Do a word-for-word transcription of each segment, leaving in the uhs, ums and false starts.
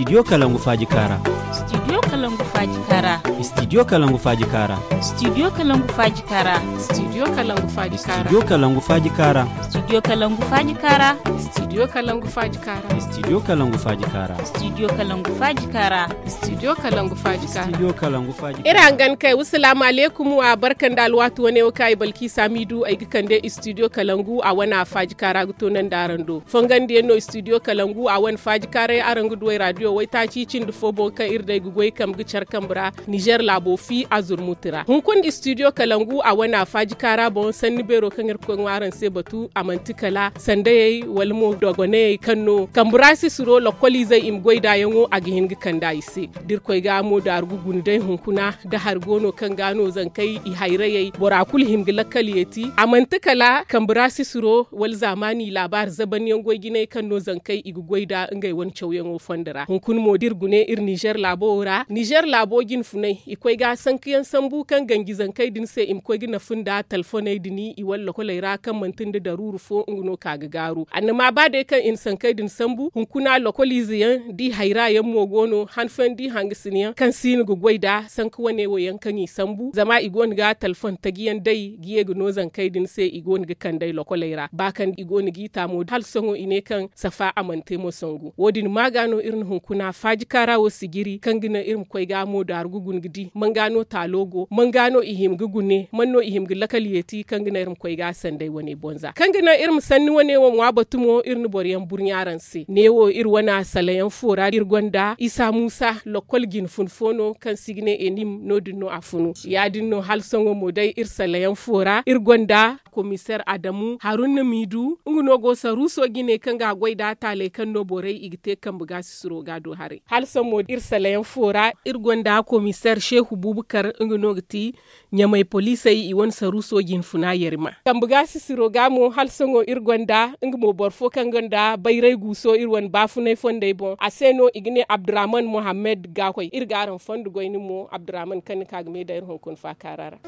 Studio Kalangu Faaji Kaara. Studio Kalangu Faaji Kaara. Studio Kalangu Faaji Kaara. Studio Kalangu Faaji Kaara. Studio Kalangu Faaji Kaara. Studio Kalangu Faaji Kaara. Studio Kalangu Faaji Kaara. Studio Kalangu Faaji Kaara. Studio Kalangu Faaji Kaara. Studio Kalangu Faaji Kaara. Studio Kalangu Faaji Kaara. Studio Kalangu Faaji Kaara. Iri hangan kay, wasalaamu aleykum, a barka nda alwaati wane wo kaŋ ay Balkisa Midu, ay ga kande Studio Kalangu a wane a Faaji Kaara ga toonandi araŋ do. Fongandiyaŋ no Studio Kalangu a wane Faaji Kaaray araŋ ga du ay raadiyo waytaaci cindi fo boŋ kaŋ iri day ga goy kambe ga care kambe ra, Nizer laabo fi a zurmuti ra. Hunkuna Studio Kalangu a wane a Faaji Kaara boŋ sanni beero kaŋ Irkoy ŋwa araŋ se batu, a manti kala sandayey wala mo dogonayey kaŋ no kambe ra sisiro lokkoliizey i ma goy nd'a yaŋo a ga hin ga kand'a i se. Da Irkoy ga mo daaru ga guna day hunkuna, da hari go no kaŋ ga no zankey i hayrayey bora kulu hima ga lakkal yeeti. A manti kala kambe ra sisiro wala zaamaani laabaari zabanyaŋ goy jinay kaŋ no zankey i ga goy nd'a ngey wane cawyaŋo fondo ra. Hunkuna mo da iri gune iri Nizer laabo wo ra, Nizer laabo jinfunay i koy ga sankayaŋ sambu kaŋ ganji zankey din se i ma koy ga nafa nda talfoney din i wane lokoley ra kaŋ manti nda daruuru fo nga no ka ga gaaru. Annama ba day kaŋ i na sankey din sambu hunkuna lokoliize yaŋ da i hayra yaŋ mo go no han fooyaŋ da i hangasina yaŋ kaŋ si no ga goy nd'a sanka wane wo yaŋ kaŋ i sambu zama i go no ga talfon taji yaŋ day ga ye ga no zankey din se i go no ga kand'ey lokoley ra ba kaŋ i go no g'i taamo hala sohõ i ne kaŋ safa a mana te mo sangu wo- din ma ga no iri na hunkuna faaji kaara wo sijiri kaŋ ga naŋ iri ma koy ga mo daaru ga guna ga di man ga no taalo go man ga no i hima ga gune man no i hima ga lakal yeeti kaŋ ga naŋ iri ma koy ga sandey wane bonza kaŋ ga naŋ iri ma sanni wane wo ŋwa batu mo iri na boro yaŋ burɲa araŋ se neewo iri wane salayaŋ fo ra iri gonda isa muusa lokkol jine fun fo no kaŋ se i ga ne enim no- din no a funu ya- din no hala sohõ mo day iri salayaŋ fo ra iri gonda komiseer adamu haruna miidu nga no go saruuso jine kaŋ ga a goy nd'a taaley kaŋ no borey i ga te kambe ga sisiro ga do haray hala sohõ mo iri salayaŋ fo ra iri gonda komiseer seehu buubakar nga no ga ti ɲamay poliisey i wane saruuso jinfuna yarima kambe ga sisiro ga mo hala sohõ iri gonda nga mo boro fo kaŋ gonda bayray guuso iri wane baafunay fondey boŋ a se no i ga ne abdurrahman muhammad ga koy iri ga araŋ fondo goyni mo abdurrahman kaŋ ni ka ga me da iri hunkuna faakaara ra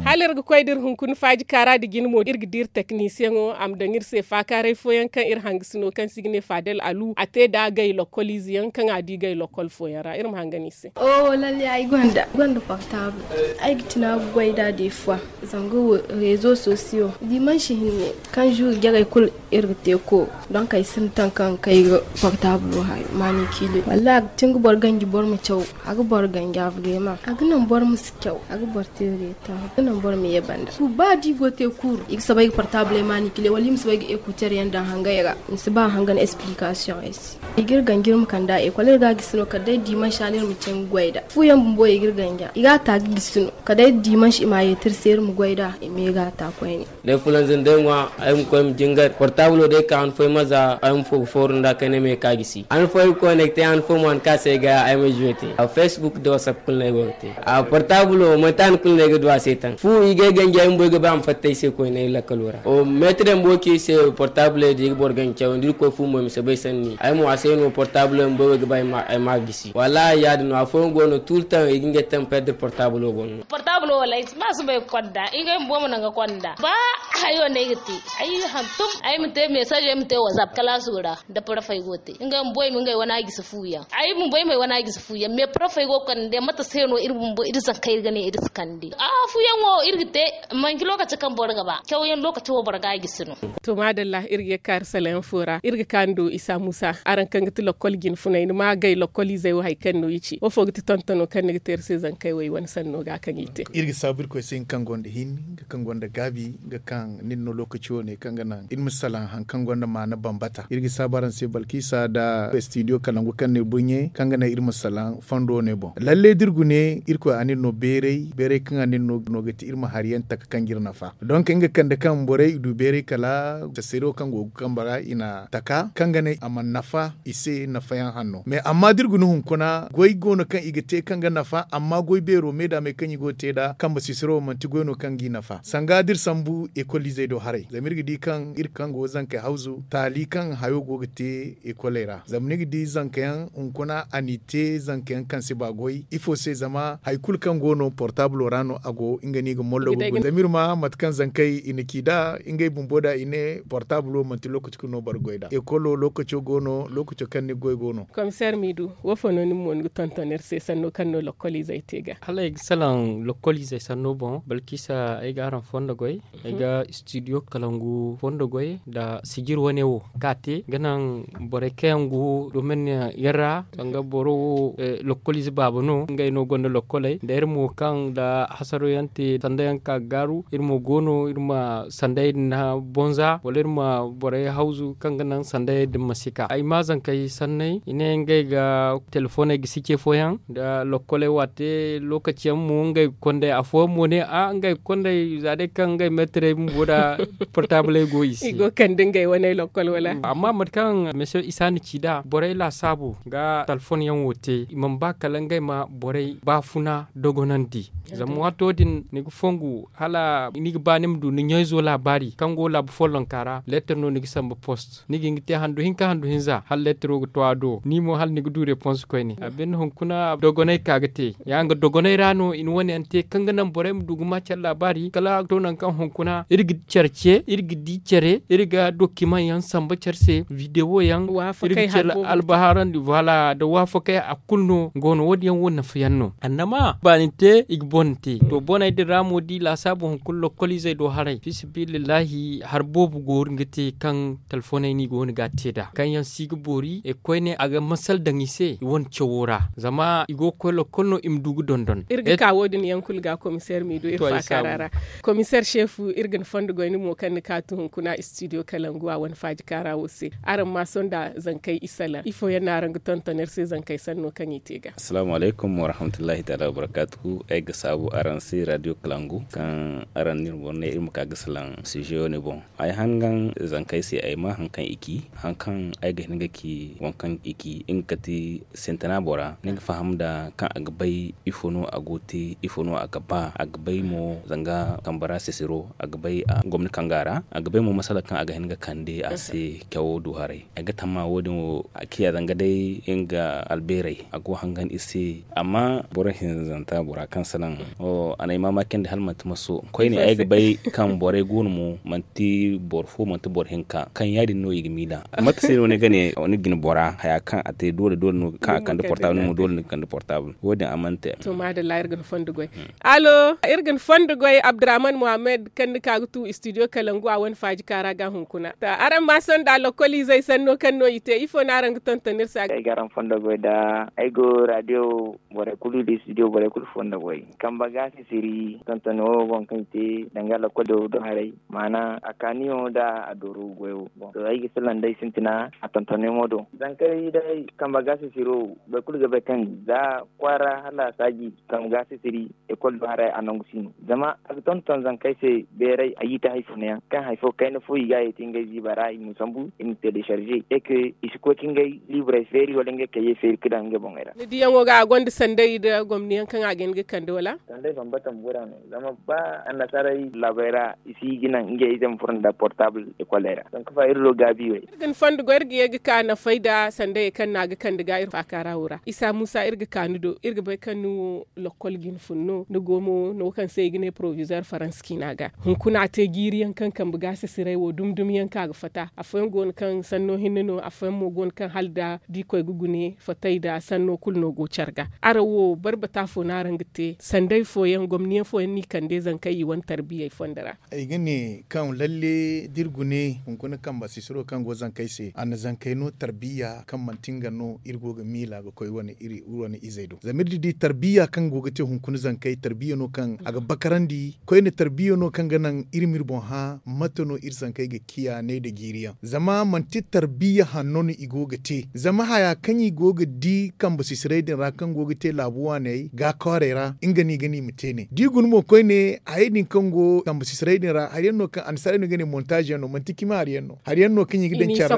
hala iri ga koy da iri hunkuna faaji kaara da jine mo iri ga di iri teknisiyaŋo a ma daŋ iri se faakaaray fooyaŋ kaŋ iri hangasino kaŋ se i ga ne faadal alu a te nd'a gay lokkol ize yaŋ kaŋ a di gay lokkol fooyaŋ ra iri ma hangan i se. Oho lalle ay gonda portable. Ay ga tuna ga goy nd'a de fois. Zanga wo rezo sosiyo dimansi hinne kaŋ zuru jarey kulu iri ga te ko donk ay sinda taŋ kaŋ ga kay ga portable wo hayo maani kiile wallaahi a ga tin ga boro ganji boro ma caw. A ga boro ganji a ga reema a ga naŋ boro ma si caw a ga boro te reeta a ga naŋ boro ma ye banda ba da i go te kuuru i ga soobay ga portable maani kiile wala i ma soobay ga ekuter yaŋ daŋ hangay ra. Ni si ba hangan esplikasiyoŋ ay se. I ga iri ganji iri ma kand'a ekol iri ga a gisi no kala day dimansi ra no iri ma caŋ ga goy nd'a. Fu yaŋ bumbo i ga iri ganji a i ga a ta ga gisi no kala day dimansi i ma a yeeti iri se iri ma goy nd'a i ma ye ga a ta koyne. Day fulanzam day ŋwa ay ma koy ma jingar portable day ka han fooyaŋ ma za ay ma fo ga fooru nd'a kayna me ka gisi han fooyaŋ ga koy no ay ga te han fooyaŋ mo han ka se ay ga ay ma zuwe te a facebook da whatsapp kulu no ay go ga te a portable wo manti han kulu no ay ga du a se taŋ fu i ga ay ganji ay ma boy ga ba a ma fatta ay se koyne ay lakkalo ra o meetir yaŋ bumbo ci ay se portable day da i ga boro ganji cawandi iri koy fu mo ay ma si bay sanni ay mo a se no portable yaŋ bumbo ay ga ba ay ma a gisi wallaahi ya- din no afooyaŋ go no tuultaŋ i ga ngey taŋ perdre portable wo boŋ no. Portable wo wallaahi ay si ba soobay ga konda ngey bumbo ma naŋ ga konda ba hayo no ay ga te ay hantum ay ma te mesazo ay ma te whatsapp kalaaso ra. Da parafey go ga te ngey bumbo ay ma ngey wane a gisi fu yaŋ ay bumbo ay ma ay wane a gisi fu yaŋ mais parafey go ga konda day mate se no iri bumbo iri zankey iri ga ne iri si kande a fu yaŋ wo iri ga te manci lokaci kaŋ boro ga ba cawyaŋ lokaci wo boro ga a gisi no. To maadalla iri ga ye ga ka iri sala yaŋ fo ra iri ga ka ni do isa muusa araŋ kaŋ ga ti lokkol jinfunay ni ma gay lokkol izey wo hari kaŋ no i ci wo fo ga ti tontono kaŋ ni ga te iri se zankey wo i wane sanno ga kaŋ i te. Iri ga saabu irkoy se nga kaŋ gonda hin nga kaŋ gonda gaabi nga kaŋ nin no lookaci wo- ne kaŋ ga naŋ iri ma salaŋ hari kaŋ gonda maana bambata iri ga saabu araŋ se balkisa nda studio kalangu kaŋ ne burɲe kaŋ ga naŋ iri ma salaŋ fondo wo- ne boŋ lalle da iri gune irkoy a nin no beeray beeray kaŋ a nin no ga ti iri ma hari yaŋ taka kaŋ ga iri nafa. Donk nga kande kaŋ borey i du beeray kala taseero kaŋ go ga kambe ra i na taka kaŋ ga ne a mana nafa i se nafayaŋ hanno mais amma da iri guna hunkuna goy go no kaŋ i ga te kaŋ ga nafa amma goy beero me da me kaŋ i go ga te nd'a. kambe sisiro manti goy no kaŋ g'i nafa sanga da iri sambu ekol izey do haray zama iri ga di kaŋ iri kaŋ go zankey hawzu taali kaŋ hayo go ga te ekoley ra zama ni ga di zanka yaŋ hunkuna a n'i te zanka yaŋ kaŋ si ba goy ifo se zama hari kulu kaŋ go no portabulo ra no a go nga no i ga mollo ga guna zama iri ma mate kaŋ zankey i na ci nd'a ngey bumbo da i ne portabulo manti lookaci kulu no boro ga goy nd'a ekolo lookaco go no lookaco kaŋ ni ga goy go no. Komiseer miidu, wo fo no nin mo ni ga tonton iri se sanno kaŋ no lokkol izey te ga? Hala ay ga salaŋ lokkol izey sanno boŋ balkisa ay ga araŋ fondo goy ay ga studio kalangu fondo goy nda sijir wane wo kaŋ a te ga naŋ borey kaŋ yaŋ go domin yaŋ ra danga boro wo lokkol ize baaba no ngey no gonda lokkoley nda iri mo kaŋ nda hasaro yaŋ te sanda yaŋ ka ga gaaru iri mo go no iri ma sanday din na bonza wala iri ma borey hawzu kaŋ ga naŋ sanday din ma si ka ay ma zankey sanney i ne ngey ga telefoney ga si ce fooyaŋ nda lokkoley waate lokaci yaŋ mo ngey ga konday afooyaŋ mo ne a ngey ga konday za day kaŋ ngey meetirey bumbo nda portabley go i se i go ga kande ngey waney lokkol wala amma mate kaŋ mese isa na ci nd'a borey laasaabu ga talfon yaŋ wo te i mana ba kala ngey ma borey baafuna dogonandi zama waato din ni ga fongu hala ni ga ba ni ma du ni ɲayzo laabaari kaŋ go laabu follonka ra leetar no ni ga samba post ni ga hin ga te handu hinka handu hinza hala leetaro ga to a do ni mo hala ni ga du repons koyne a binde hunkuna dogonay ka ga te ya nga dogonay ra no i na wane yaŋ te kaŋ ga naŋ borey ma du ga ma care laabaari kala to nangu kaŋ hunkuna iri ga care ce iri ga di care iri ga dokimaŋ yaŋ samba care se videwo yaŋ iri ga care albaharandi voila nda waafakay a kulu no go no wo- din yaŋ wo nafa yaŋ no annama baani te i ga bone te to boney din ra mo da i laasaabu hunkuna lokkol izey do haray fi sabilillahi hari boobo go ga te kaŋ telefoney no i go no ga a te nd'a kaŋ yaŋ si ga boori e koyne a ga masal daŋ i se i wane cawo ra zama i go ga koy lokkol no i ma du ga dondon iri ga ka wo- din yaŋ kulu ga komiseer miidu iri faakaara ra komiseer seefu iri ga ni fondo goy ni mo kaŋ ni kaatu hunkuna studio kalangu a wane faaji kaara wo se araŋ ma sonda zankey i salaŋ ifo yaŋ no araŋ ga tonton iri se zankey sanno kaŋ i te ga assalaamu alaykum warahmatullahi taala wabarakaatuhu ay ga saabu araŋ se radio kalangu kaŋ araŋ no iri ma ka ga salaŋ size wane boŋ ay hangan zankey se ay ma hari kaŋ i ci hari kaŋ ay ga hin ga ci waŋ kaŋ i ci nga kati sintina bora ni ga faham nda kaŋ a ga bay ifo no a go ga te ifo no a ga ba a ga bay mo zanga kambe ra sisiro a ga bay gomni kaŋ ga a ra a ga bay mo masala kaŋ a ga hin ga kande a se cawo du haray ay ga tamma wo- din wo a ciya zanga day nga albeerey a go hangan i se amma boro hinzanta bora kaŋ salaŋ a na ay maamaaci nda hala manti maso koyne ay ga bay kaŋ borey go no mo manti boro fo manti boro hinka kaŋ ya- din no i ga miila mate se no ni ga ne ni ga ni bora haya kaŋ a te doole doole no kaŋ a kande portable ni mo doole ni ga kande portable wo- din a mana te to maadalla iri ga ni fondo goy alo iri ga ni fondo goy abdurrahman muhammad kaŋ ni ka ga tu studio kalangu a wane faaji kaara ga hunkuna araŋ ma sonda lokkol izey sanno kaŋ no i te ifo no araŋ ga tonton iri se ay ga araŋ fondo goy da ay go radio borey kulu da studio borey kulu fondo goy kambe ga sisiri tonton wo boŋ kaŋ i te danga lokkol do haray maana a kaaniyaŋo da a dooro goyo boŋ to ay ga salaŋ day sintina a tontonyaŋo do zankey day kambe ga sisiro boro kulu ga bay kaŋ za kwaara hala saaji kambe ga sisiri ekol do haray a nangu si no zama a ga tonton zankey se beeray a yiita hay fo no yaŋ kaŋ hay fo kayna fo i ga a yeeti ngey ziiba ra i ma sambu i ma telecharge e ke i si koy ka ngey liiburey feeri wala ngey kayyey feeri ka daŋ ngey boŋey ra ni diyaŋo ga a gonda sanday nda gomni yaŋ kaŋ a ga hin ga kande wala sanday bambata ma bora no zama ba annasaarey laabey ra i si ga naŋ ngey ize ma furo nda portable ekoley ra donk fa iri do gaabi wey iri ga ni fondo goy iri ga ye ga ka nafay nda sandayey kaŋ no a ga kande ga iri faakaara wo ra isa muusa iri ga ka ni do iri ga bay kaŋ ni wo lokkol ga ni fun no ni go mo no kaŋ se i ga ne porovizoir faransa ciina ga hunkuna a te jiiri yaŋ kaŋ kambe ga sisiray wo dumi dumi yaŋ kaŋ a ga fatta afooyaŋ go no kaŋ sanno hinne no afooyaŋ mo go no kaŋ hala da da i koy ga gune fattay nda sanno kulu no go care ga araŋ wo barbata fo no araŋ ga te sanday fooyaŋ gomni yaŋ fooyaŋ no i kande zankey i wane tarbiyey fondo ra ay ga ne kaŋ lalle da iri gune hunkuna kambe sisiro kaŋ go zankey se a na zankey no tarbiya kaŋ manti nga no iri go ga miila ga koy wane iri wane izey do zama iri di tarbiya kaŋ go ga te hunkuna zankey tarbiya no kaŋ a ga bakarandi koyne tarbiya no kaŋ ga naŋ iri ma iri boŋ hã mate no iri zankey ga ciya ne nda jiiri yaŋ zama manti tarbiya hanno no i go ga te zama haya kaŋ i go ga di kambe sisiray din ra kaŋ go ga te laabu waaney ga kwaarey ra nga no i ga ne i ma te ne da i guna mo koyne hayey din kaŋ go kambe sisiray din ra hari yaŋ no kaŋ annasaarey no i ga ne montaaz yaŋ no manti cima hari yaŋ no hari yaŋ no kaŋ i ga daŋ care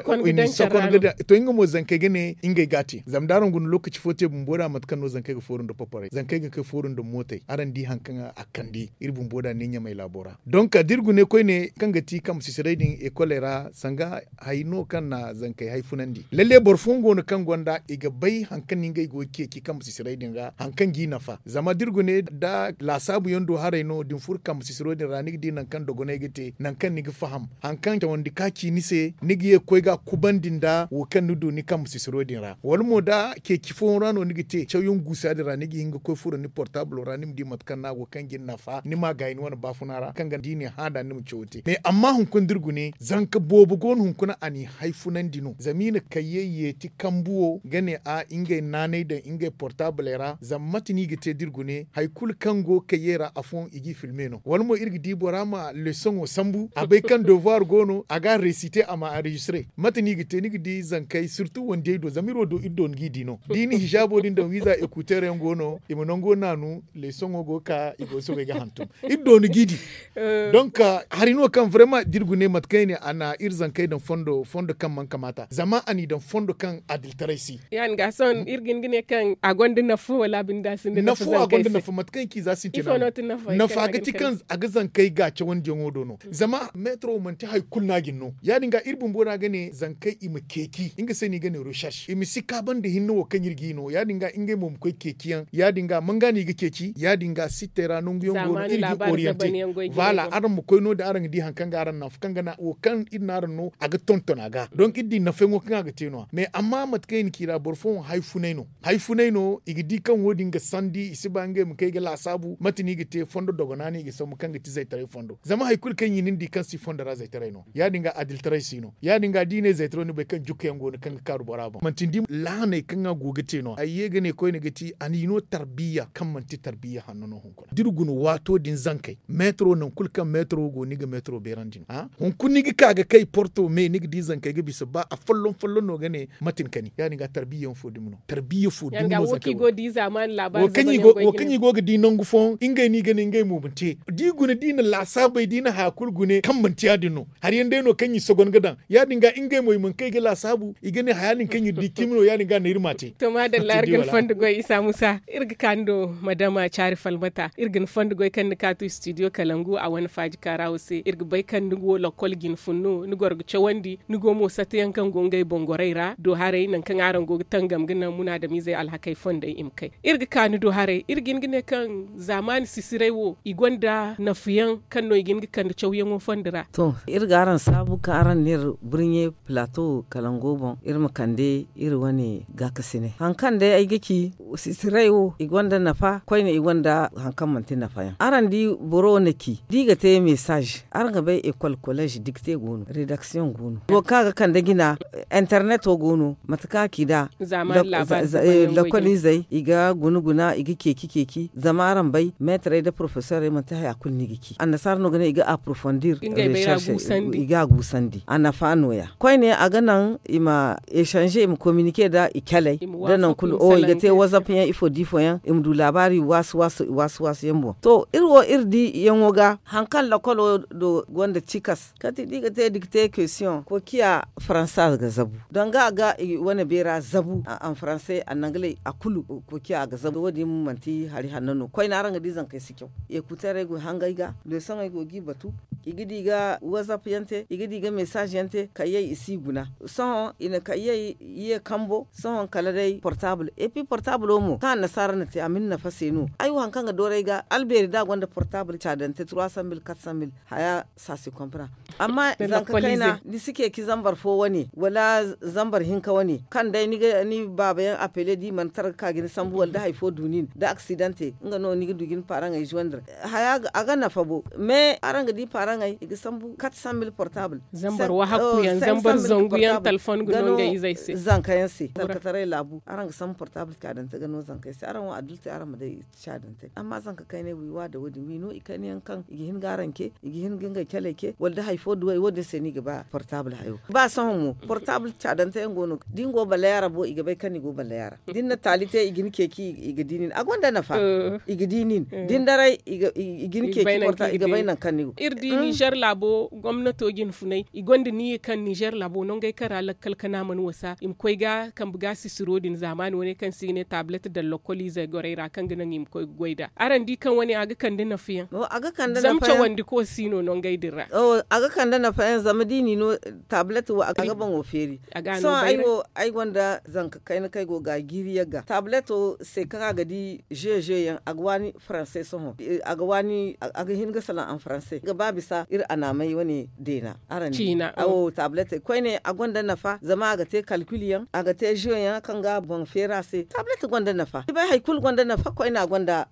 ra to nga mo zankey ga ne ngey ga a te zama da araŋ guna lookaci fo te bumbo da mate kaŋ no zankey ga fooru nda poporey zankey ga kay fooru nda mootey Araŋ di hari kaŋ a kande iri bumbo da ne ɲamay laabo ra. Donk da iri gune koyne kaŋ ga ti kambe sisiray din ekoley ra sanga hari no kaŋ na zankey hay funandi lalle boro fooyaŋ go no kaŋ gonda i ga bay hari kaŋ no ngey go ga ceeci kambe sisiray din ra hari kaŋ g'i nafa zama da iri gune da laasaabu yaŋ do haray no da ni furo kambe sisiro din ra ni ga di nangu kaŋ dogonay ga te nangu kaŋ ni ga faham hari kaŋ cawandi ka ci ni se ni ga ye ga koy ga a kubandi nda wo kaŋ ni du ni kambe sisiro din ra wala mo da ceeci fooyaŋ ra no ni ga te cawyaŋ guusa din ra ni ga hin ga koy furo ni portaabilo ra ni ma di mate kaŋ no a go kaŋ ga ni nafa ni ma a gaayi ni wane baafuna ra kaŋ ga di ni hã nd'a ni ma cawo te mais amma hunkuna da iri gune zanka boobo go no hunkuna a n'i hay funandi no zama i na kayyey yeeti kambu wo ga ne a ngey naanay daŋ ngey portaabiley ra zama mate no i ga te da iri gune hari kulu kaŋ go kayyey ra afooyaŋ i g'i filme no wala mo iri ga di bora ma leesoŋo sambu a bay kaŋ devoir go no a ga a reesite a ma anrejistre mate no i ga te ni ga di zankey sirtu wandiyey do zama iri wo do iri doona g'i di no da i na hijaabo din daŋ wiiza ekuteer yaŋ go no i ma nango naanu leesoŋo go ga ka i go ga soobay ga hantum iri doona g'i di donk hari no kaŋ vrema da iri gune mate kaŋ i ne a na iri zankey daŋ fondo fondo kaŋ mana kamaata zama a n'i daŋ fondo kaŋ adiltaray si ya- din ga sohõ iri ga hin ga ne kaŋ a gonda nafa wala a binde a sinda nafa nafa a gonda nafa mate kaŋ i ci za sintina no nafa ga ti kaŋ a ga zankey ga cawandiyaŋo do no zama meetaro manti hari kulu no a ga ni no ya- din ga iri bumbo no a ga ne zankey i ma ceeci nga se no i ga ne recherche i ma si kaabandi hinne wo kaŋ iri g'i no ya- din ga ngey mo ma koy ceeciyaŋ ya- din ga manga no i ga ceeci ya- din ga sittey ra nangu yaŋ go no iri g'i oriyanti. Voilà araŋ ma koy no- din araŋ ga di hari kaŋ ga araŋ naŋ fo kaŋ ga naŋ wo kaŋ iri no araŋ no a ga tonton a ga donk iri di nafa yaŋo kaŋ a ga te no- ya mais amma mate kaŋ i na ci ra boro fooyaŋ hay funay no hay funay no i ga di kaŋ wo- din ga sandi i si ba ngey ma kay ga laasaabu mate no i ga te fondo dogona no i ga sambu kaŋ ga ti zaytaray fondo zama hari kulu kaŋ i na ni di kaŋ si fondo ra zaytaray no ya- din ga adiltaray si no ya- din ga da i ne zaytaro ni bay kaŋ jukka yaŋ go no kaŋ ga kaaru bora boŋ manti ni di lahaney kaŋ a go ga te no a ye ga ne koyne ga ti a n'i no tarbiya kaŋ manti tarbiya hanno no hunkuna da iri guna waato din zankey meetaro nangu kulu kaŋ meetaro go no ni ga meetaro beerandi no hunkuna ni ga ka ga kay porto me ni ga di zankey ga bisa ba afolloŋ folloŋ no ga ne mate ni kani ya- din ga tarbiya yaŋ fo dumi no tarbiya fo dumi no zankey go wo kaŋ i go ga di nangu fooyaŋ ngey no i ga ne ngey mo ma te da i guna da i na laasaabey da i na haya kulu gune kaŋ manti ya- din no hari yaŋ day no kaŋ i sogon ga daŋ ya- din ga ngey mo i mana kay ga laasaabu i ga ne haya din kaŋ iri di cimi no ya- din ga no iri m'a te. To maadalla iri ga ni fondo goy isa musa iri ga ka ni do madama caari falmata iri ga ni fondo goy kaŋ ni kaatu studio kalangu a wane faaji kaaraawo se iri ga bay kaŋ ni go lakkol jine fun no ni goro ga cawandi ni go mo sata yaŋ kaŋ go ngey boŋ gorey ra do haray nangu kaŋ araŋ go ga tangam ga naŋ munaadamizey alhakey fondey i ma kay iri ga ka ni do haray iri ga hin ga ne kaŋ zaamaani sisiray wo i gonda nafa yaŋ kaŋ no i ga hin ga kande cawyaŋo fondo ra. To iri ga araŋ saabu kaŋ araŋ na iri burɲe pilaato kalango boŋ iri ma kande iri wane gaakasinay hari kaŋ day ay ga ci sisiray wo i gonda nafa koyne i gonda hari kaŋ manti nafa yaŋ araŋ di boro na ci da i ga te mesaaz araŋ ga bay ekol koleez dikte go no redaksiyoŋ go no wo kaŋ a ga kande jina interneto go no mate kaŋ a ci nd'a lakkoliizey i ga guna guna i ga ceeci ceeci zama araŋ bay meetarey nda porofesorey manti haya kulu no i ga ci annasaara no ga ne i ga aprofondir i ga a guusandi a nafa nooya koyne a ga naŋ i ma esanze i ma kominike nda i caley da nangu kulu i ga te wazap yaŋ ifo da ifo yaŋ i ma du laabaari waasu waasu yaŋ boŋ to iri wo iri di yaŋo ga hari kaŋ lakkolo do gonda cikas kati da i ga te dikte kesiyoŋ kokiya faransa ga zabu danga a ga i wane beera zabu a faranse a nangaley a kulu kokiya a ga zabu wo- din manti hari hanno no koyne araŋ ga di zankey si caw ekuteerey go hangey ga leesoŋey go g'i batu i ga di ga wazap yaŋ te i ga di ga mesaaz yaŋ te kayyey i si guna sohõ i na kayyey ye kambo sohõ kala day portaabul epi portaabulo mo kaŋ annasaara na te a ma ni nafa se no ay wo hari kaŋ ga dooru ay ga albeeri da a gonda portaabul caadante trois cent mille quatre cent mille haya saasi kompara amma zanka kayna ni si ceeci zambar fo wane wala zambar hinka wane kaŋ day ni baaba yaŋ apele da i mana tara ga ka ga ni sambu wala da hari fo du nin da aksidante nga no ni ga du ga ni paaraŋey zuwandir haya a ga nafa bo mais araŋ ga di paaraŋey i ga sambu quatre cent mille portable zambar wahakku yaŋ zambar zangu yaŋ talfon ga no ngey izey se zanka yaŋ se talkataray laabu araŋ ga sambu portable caadante ga no zankey se araŋ wo adultey araŋ ma day caadante amma zanka kaynay wi wa da wo- din wi no i kayna yaŋ kaŋ i ga hin ga araŋ ce i ga hin ga ngey caley ce wala da hari fo duwey wo- din se no i ga ba portable hayo ba sohõ mo portable caadante yaŋ go no da ni go balayaara bo i ga bay kaŋ ni go balayaara da ni na taali te i ga ni ceeci i ga di nin a gonda nafa i ga di nin da ni daray i ga ni ceeci portable i ga bay nangu kaŋ ni go iri di nizer laabo gomnato jine funay i gonda niya kaŋ nizer laabo nangey kaŋ ra lakkal kana mana wasa i ma koy ga kambe ga sisiro din zaamaani wane kaŋ se i ga ne taablet daŋ lakkol izey gorey ra kaŋ ga naŋ i ma koy ga Araŋ di kaŋ wane a ga kande nafa yaŋ. Zama cawandi ko si no no ngey din ra. A ga kande nafa yaŋ zama da i n'i no taabilet wo a ga boŋo feeri. Sohõ ay wo ay gonda zanka kayna kaŋ ay go ga a jiiri yagga taabileto se kaŋ a ga di zeeze yaŋ a ga waani faranse sohõ. A ga waani a ga hin ga salaŋ anfaranse ga ba bisa iri anaamey wane deena. Araŋ di awo taabiletey koyne a gonda nafa zama a ga te kalkil yaŋ a ga te zeeze yaŋ kaŋ ga boŋ feeri a se taabilet gonda nafa ni bay hari kulu gonda nafa koyne a gonda.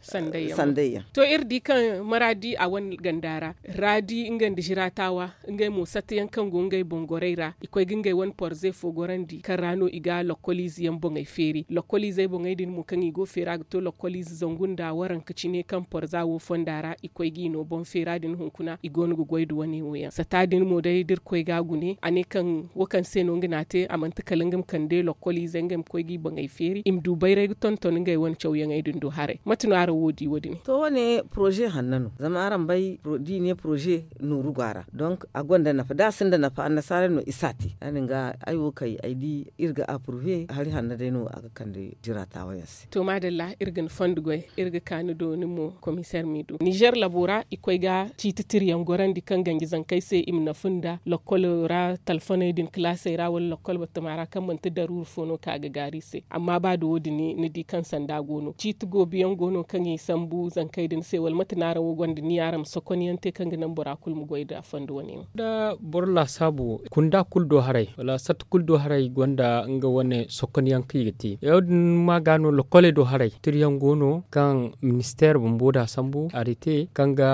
Sandey yaŋ. To iri di kaŋ maraadi a wane ganda ra raadi nga nda ziraatawa ngey mo satta yaŋ kaŋ go ngey boŋ gorey ra i koy ga ngey wane porze fo gorandi kaŋ ra no i ga lokkoliize yaŋ boŋey feeri lokkoliizey boŋey din mo kaŋ i go feera ga to lokkoliize zangu nda waranka cine kaŋ porza wo fonda ra i koy ga i no boŋ feera din hunkuna i go no ga goy nda wane wo yaŋ satta din mo day da iri koy ga a gune a ne kaŋ wo kaŋ se no nga n'a te a manti kala nga ma kande lokkoliizey ngey ma koy ga i boŋey feeri i ma du bayray ga tonton ngey wane cawyaŋey din do haray mate no araŋ wo di wo- din. To wane poroze hanno no zama araŋ bay da i ne poroze nooru go a ra donk a gonda nafa da a sinda nafa annasaarey no i si a te ya- din ga ay wo kay ay di iri ga apurve hari hanno day no a ga kande jiraatawa yaŋ se. To maadalla iri ga ni fondo goy iri ga ka ni do ni mo komiseer m'i du nizer labo ra i koy ga ciiti tira yaŋ gorandi kaŋ ganji zankey se i ma nafa nda lokkolo ra talfoney din kalaasey ra wala lokkol batama ra kaŋ manti daruuru fo no kaŋ a ga gaari i se amma ba da wo- din ni di kaŋ sanda go no ciiti goobi yaŋ go no kaŋ i sambu zankey din se wala mate no araŋ wo gonda ni araŋ ma sokon yaŋ te kaŋ ga naŋ bora kulu ma goy nda fondo wane yaŋ. Da boro laasaabu kunda kulu do haray wala satta kulu do haray gonda nga wane sokon yaŋ kaŋ i ga te ya- din ma ga no lokkoley do haray tira yaŋ go no kaŋ ministeer bumbo da sambu a ga te kaŋ ga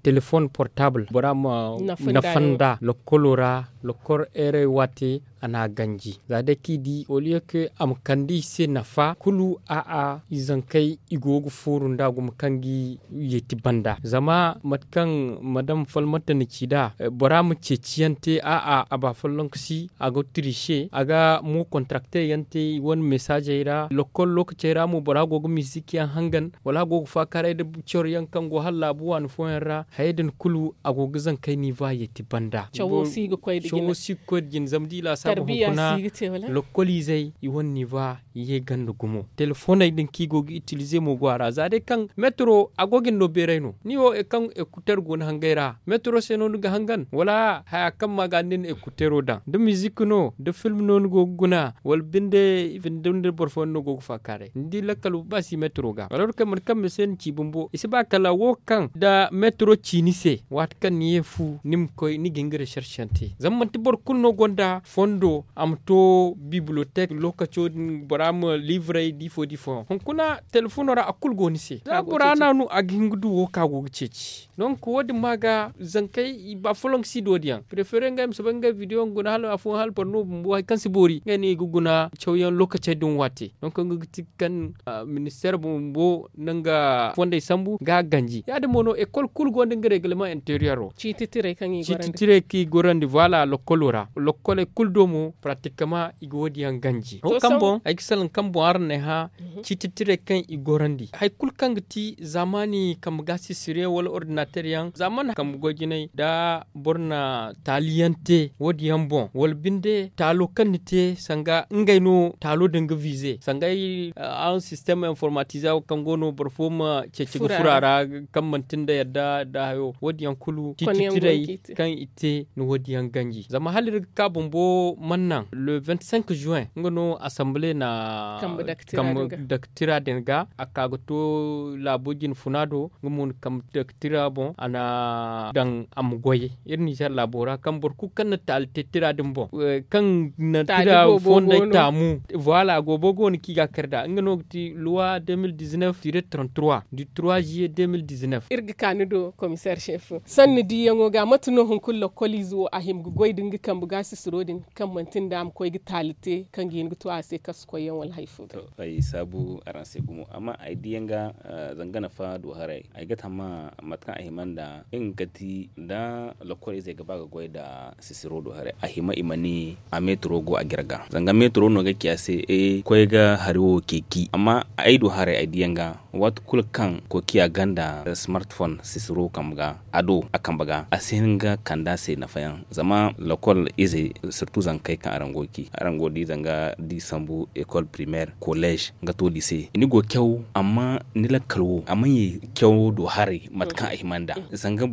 telefoŋ portaabul bora ma nafa nda lokkolo ra lokkol heerey waate a n'a ganji za day kaŋ i di oliye kaŋ a ma kande i se nafa kulu a'a i zankey i go ga fooru nda gumo kaŋ ga i yeeti banda zama mate kaŋ madam falmata na ci nd'a bora ma ceeci yaŋ te a'a a ba folloŋ ga si a ga tiriise a ga mo kontarakte yaŋ te i wane mesaazey ra lokkol lookacey ra mo bora go ga mizik yaŋ hangan wala a go ga faakaaray nda coro yaŋ kaŋ go hala laabu waani fooyaŋ ra hayey din kulu a go ga zankey niiva yeeti banda cawo si ga koy nda jine zama da i laasaabu hunkuna lokkoliizey i wane niiva ye ganda gumo telefoney din kaŋ i go ga itilize mo go a ra za day kaŋ metro a go ga ni no beeray no ni wo kaŋ ekuteer go ni hangey ra metro se no ni ga hangan wala haya kaŋ ma ga ni na ekuteero daŋ da mizik no da film no ni go ga guna wala binde boro fooyaŋ no go ga faakaaray ni di lakkal ba si metro ga wala wala kaŋ mate kaŋ ma se ni ci bumbo i si ba kala wo kaŋ da metro ci ni se waati kaŋ ni ye fu ni ma koy ni ga hin ga recherche yaŋ te zama manti boro kulu no gonda fondo a ma to bibliotek lookaco din bora ma liivrey da ifo da ifo hunkuna telefono ra a kulu go ni se za bora naanu a ga hin ga du wo kaŋ a go ga ceeci donc wo- din ma ga zankey i ba folloŋ ga si doodiyaŋ prefere ngey ma soobay ngey bidiyo yaŋ guna hala afooyaŋ hala boro no bumbo hari kaŋ si boori ngey no i ga guna cawyaŋ lookacey din waate donc nga ga ti kaŋ ministeer bumbo na nga fondey sambu ga a ganji ya- din mo no ekol kulu go nda nga regleman interiyero ciiti tirey kaŋ i gorandi voila lokolo ra lokoley kulu do mo pratikama i ga wo- din yaŋ ganji wo kaŋ boŋ ay ga salaŋ kaŋ boŋ araŋ na ay hã ciiti tirey kaŋ i gorandi hari kulu kaŋ ga ti zaamaani kambe ga sisire wala ordinateer yaŋ zaamaani kambe goy jinay da boro na taali yaŋ te wo- din yaŋ boŋ wala binde taalo kaŋ ni te sanga ngey no taalo din ga viize sanga ay araŋ sistem informatize wo kaŋ go no boro fo ma ceeci ga furo a ra kaŋ manti nda yadda nda hayo wo- din yaŋ kulu ciiti tirey kaŋ i te ni wo- din yaŋ ganji zama hala iri ga ka bumbo mana naŋ le vingt cinq juin nga no assemblee na kambe daktira din ga a ka ga to laabo jine funa do nga mo na kambe daktira boŋ a na daŋ a ma goy iri ninzeer laabo ra kaŋ boro kulu kaŋ na taali te tira din boŋ kaŋ na tira fondey taamu voila a goobo go no kaŋ i ga a kar nd'a nga no ga ti loi deux mille dix-neuf tire trente-trois du trois juillet deux mille dix-neuf iri ga ka ni do komiseer chef sanni diiyaŋo ga mate no hunkuna lokkoliize wo a hima ga goy nda nga kambe ga sisiro din kaŋ manti nda a ma koy ga taali te kaŋ ga hin ga to a se kasu koyyaŋ wala hari fo ga ay saabu araŋ se gumo amma ay diiyaŋ ga zanga nafa du haray ay ga tammahã mate kaŋ a hima nda nga ga ti nda lokkoliizey ga ba ga goy nda sisiro du haray a hima i ma ni a meetiro go a jirga zanga meetiro no ga ci a se koy ga hari wo ceeci amma ay du haray ay diiyaŋ ga waati kulu kaŋ kokiya ganda smartphone sisiro kambe ga a do a kambe ga a si hin ga kande a se nafayaŋ zama lokol izey surtout Haŋ kay kaŋ araŋ go ga ci araŋ go ga di zanga da i sambu école primaire collège, nga to lycée ni go ga caw. Amma ni lakkal wo a mana ye cawo do haray mate kaŋ a hima nd'a. Zanga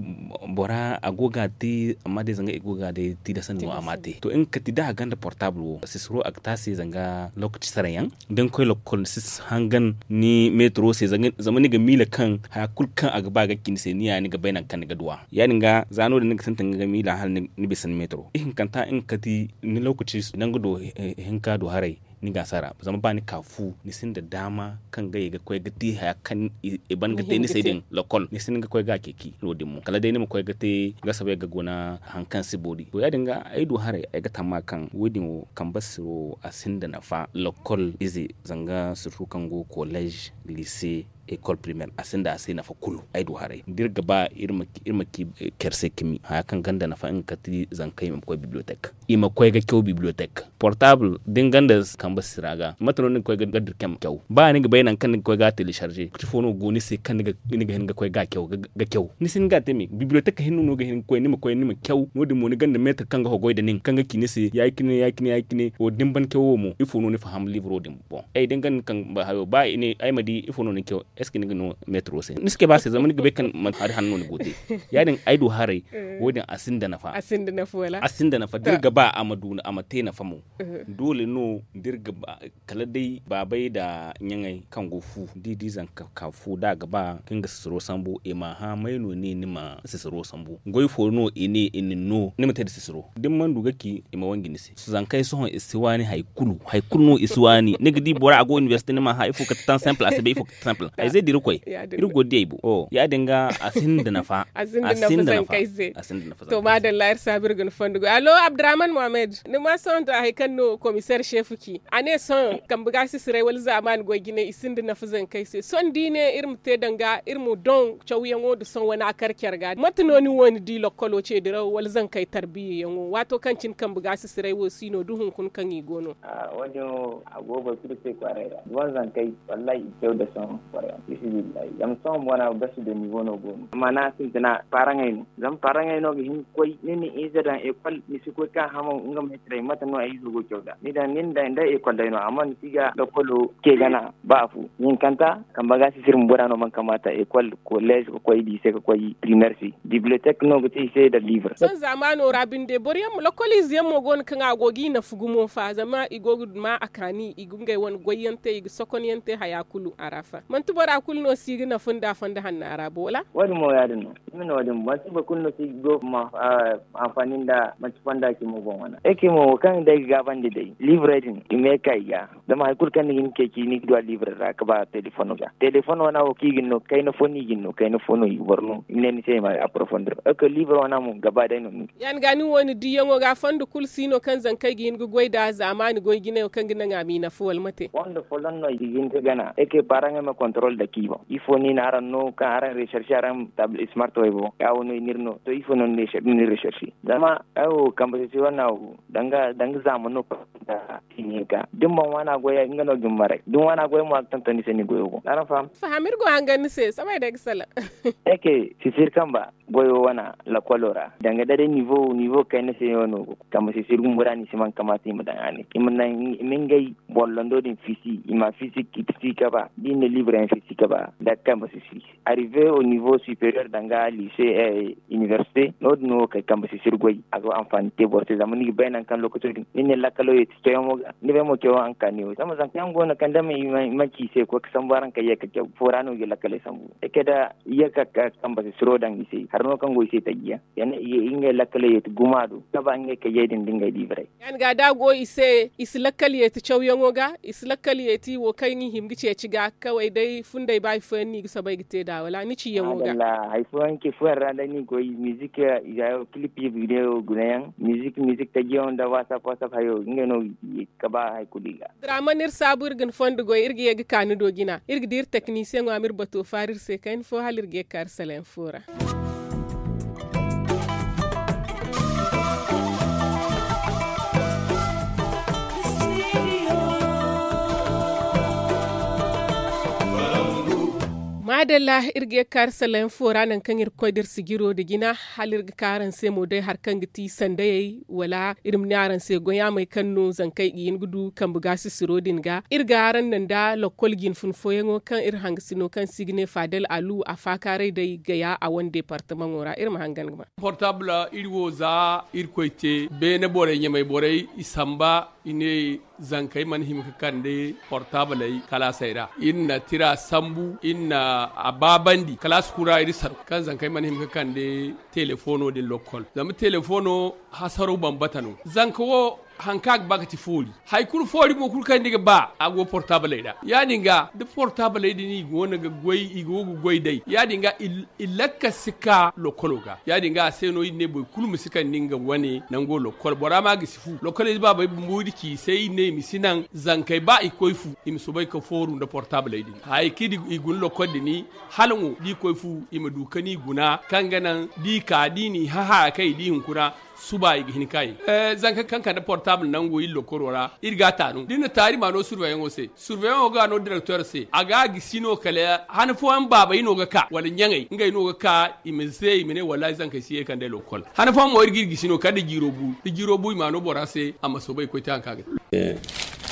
bora a go ga a te amma day zanga i go ga a day tilasandi no a ma a te to nga kati da a gonda portable wo sisiro a ga te a se zanga lokaci saraŋ yaŋ. Da ni koy lakkol ni si hangan ni meetiro se zama ni ga miila kaŋ haya kulu kaŋ a ga ba ga ci ni se ni ya ni ga bay nangu kaŋ ni ga duw'a. Ya- din ga za no- din ni ga sintin ga miila hala ni bisa ni meetiro ihinkanta nga kati ni lokaci nangu do hinka do haray. Ni ga a sara zama ba ni ka fu ni sinda daama kaŋ ga ye ga koy ga te haya kaŋ i ban ga te ni se din lakkol ni sinda ga koy ga a ceeci no- din mo kala day ni ma koy ga te ga soobay ga guna. Haŋ kaŋ si boori to ya- din ga ay du haray ay ga tamma kaŋ wo- din wo kambe siro a sinda nafa lakkol ize zanga sirtu kaŋ go collège, lycée, école primaire a sinda a se nafa kulu. Ay du haray da iri ga ba iri ma ci care se kami haya kaŋ gonda nafa nga kati zankey ma koy bibliothèque i ma koy ga caw bibliothèque portable da ni gonda kambe sira ga mate no ni ga koy ga dira care ma caw ba ni ga bay nangu kaŋ ni ga koy ga a télécharger. Kati fo no go ni se kaŋ ni ga hin ga koy ga a caw ga caw ni si hin ga a te me bibliothèque hinne no ga hin ga koy ni ma koy ni ma caw no- din mo ni gonda meetir kaŋ ga hogoy nda nin kaŋ ga ci ni se ya- cine ya- cine ya- cine wo da ni ban cawo wo mo ifo no ni faham livro din boŋ ay da ni gonda ni kaŋ ba hayo ba i ne ay ma di ifo no ni ga caw? Est ce que ni ga no meetiro se ni si cabe a se zama ni ga bay kaŋ manti hari hanno ni go ga te. Ya- din ay du haray wo- din a sinda nafa a sinda nafa da iri ga ba a ma du a ma te nafa mo. Doole no da iri ga ba kala day baabay nda ɲaŋey kaŋ go fu da i di zanka ka fu da a ga ba kaŋ ga sisiro sambu i ma hã may no ne ni ma sisiro sambu goy fo no i ne i na ni no ni ma te nda sisiro da ni mana du ga ci i ma wanji ni se. Zankey sohõ i si waani hari kulu hari kulu no i si waani ni ga di bora a go inibersite ni ma hã ifo kate tan simple a si bay ifo kate tan simple ay zey da iri koy iri go ga di ay boŋ. Ya- din ga a sinda nafa a sinda nafa zankey se. To maadalla iri saabu iri ga ni fondo goy allo abdurrahman mohammed ni ma sohõ to hari kaŋ no komiseer seefu ci a ne sohõ kambe ga sisiray wala zaamaani goy jinay i sinda nafa zankey se sohõ da i ne iri ma te danga iri ma doŋ cawyaŋo nda sohõ wane a kar care ga mate no ni wo ni di lokkolo ce diraw wala zankey tarbiyayaŋo waato kaŋ cine kambe ga sisiray wo si no da hunkuna kaŋ i go no? Wo- din wo a go boro kulu se kwaaray ra ni wane zankey wallahi i caw nda sohõ. Kwaaray ra fisibillahi zama sohõ mo wane a ga gasu da nivo no go no amma ni a sintina paaraŋey no zama paaraŋey no ga hin ga koy ni na ize daŋ ekol ni si koy ka hamo nga meetirey mate no ay izo go caw nd'a ni daŋ nin day nda ekol day no amma ni si ga lokolo ce gana ba afo hinkanta kambe ga sisir ma bora no mana kamaata ekol kolleez ga koy liise ga koy primer se bibliotek no ga te i se nda livre. Sohõ zaamaano ra binde boro yaŋ mo lokol ize yaŋ mo go no kaŋ a go ga i nafa gumo fa zama i go ga ma a kaani i ga ngey wane goy yaŋ te i ga sokon yaŋ te haya kulu a ra fa manti bora kulu no si ga nafa nda fondo hanna ra bo wala? Wo- din mo ya- din no i ma ne wo- din manti boro kulu no si ga go ma anfaani nda manti fonda cimo boŋ wane. Ay cimo wo kaŋ day ga gaabandi day liibrey din i ma ye ka i ga zama hari kulu kaŋ ni ga hin ceeci ni ga du a liibre ra ga ba telefoŋ ga telefoŋ wane wo kaŋ i ga ni no kayna fo no i ga ni no kayna fo no i ga boro no i ma ne ni se i ma aporofondir. Ay ga liibre wane mo gaba day no ni ga ya- din ga ni wo ni diyaŋo ga fondo kulu si no kaŋ zankey ga hin ga goy nd'a zaamaani goy jinayo kaŋ ga naŋ a m'i nafa wala mate? Fondo folloŋ no i ga hin ga gana ay ga paaraŋey ma kontorol dake i boŋ ifo no i na araŋ no kaŋ araŋ recherche araŋ table smart way boŋ ya- wo no i n'iri no to ifo no ni recherche zama ay wo kambe sisir wane wo danga zaamano kaŋ ga ti ni hinka da ni mana waana goy nga no ga ni maray da ni waana goy mo a ga tonton ni se ni goyo boŋ araŋ faham? Faham iri go hangan ni se soobay day ga salaŋ. Ay ga sisir kamba goyo wane lakkolo ra danga da day nivo nivo kayna se no no go kambe sisir bumbo ra no i si mana kamaata i ma daŋ a ne i ma ngey bollando din fisi i ma fisi fisi kaba da i na libre yaŋ fisi kaba nda kambe sisir arrive au nivo superior danga lycée université no- din no wo kay kambe sisir goy a go anfaani te boro se zama ni ga bay nangu kaŋ lokaco din ni ne lakkalo ye ti cawyaŋo ga ni bay mo cawyaŋo ankaani wo zama zanka yaŋ go no kaŋ da i mana ci i se koy ga sambu araŋ kay ye ka caw fo ra no i ga lakkaley sambu ay kay da i ye ka kambe sisiro daŋ i se hari no kaŋ go i se taji yaŋ ngey lakkaley ye ti guma do kaba ngey kay ye din da ngey libre. Ya- din ga da a go i se i si lakkal yeeti cawyaŋo ga i si lakkal yeeti wo kaŋ i hima ga ceeci ga kaway day fundey ba hari fooyaŋ no i ga soobay ga te nd'a wala ni ciyaŋo ga? Hari fooyaŋ ce fooyaŋ ra day no i ga koy mizik i ga hayo kilip i ga video gunayaŋ mizik mizik tajiyaŋo nda whatsapp whatsapp hayo ngey no ga ba hari kulu i ga. Drama no iri saabu iri ga ni fondo goy iri ga ye ga ka ni do jina iri ga di iri teknisiyaŋo a ma iri bato faari iri se kayna fo hala iri ga ye ga ka iri salayaŋ fo ra. Adalla, iri ga ye ga kaari sallayaŋ fo ra nangu kaŋ iri ga koy da iri sijiro nda jina. Hala iri ga ka araŋ se mo day hari kaŋ ga ti sandayey, wala iri ma ne araŋ se goyaamey kaŋ no zankey ga hin ga du kambe gaasisiro din ga. Iri ga araŋ naŋ nda lokkol jinfun fooyaŋo kaŋ iri hangasino kaŋ se i ga ne faadal alu a faakaaray day gaya a wane deepartamaŋo ra iri ma hangan ga ma. Portabla iri wo za irkoy te beene borey ɲamay borey i samba, i ne zankey mana hima ga kande portabley kalaasey ra. Iri na tira sambu, iri na a baabandi kalaasi kulu ra iri saru kaŋ zankey mana hima ga kande telefono din lokkol. Zama telefono hasaro bambata no. Zanka wo hari kaŋ a ga ba ga ti foori. Hari kulu foori mo kulu kaŋ ni ga ba a go portabley ra. Ya- din ga da portabley din i go no ga goy i go ga goy day, ya- din ga i lakka si ka lokkolo ga. Ya- din ga a se no iri ne boro kulu ma si kande nga wane nango lokkol bora ma ga si fu. Lokkol ize baabey bumbo iri ci i se iri ne i ma si naŋ zankey ba i koy fu, i ma soobay ga fooru nda portabley din. Hari kaŋ i guna lokkol din, hala mo da i koy fu i ma du ga ni guna kaŋ ga naŋ da i ka da i n'i hã haya kaŋ i di hunkuna. Suba i ga hin ga kaayi. Zanka kaŋ kande portable nango iri lokoro ra iri ga a taanu da iri na taari ma no surveyaŋo se. Surveyaŋo ga a no direktor se a ga a gisi no kala han fooyaŋ baabey no ga ka wala ɲaŋey ngey no ga ka. I ma ze i ma ne wallaahi zankey si ye kande lokol. Han fooyaŋ mo iri ga iri gisi no kala da jiiro bu da jiiro bu i ma no bora se a ma soobay ga koy te hari kaŋ a ga te.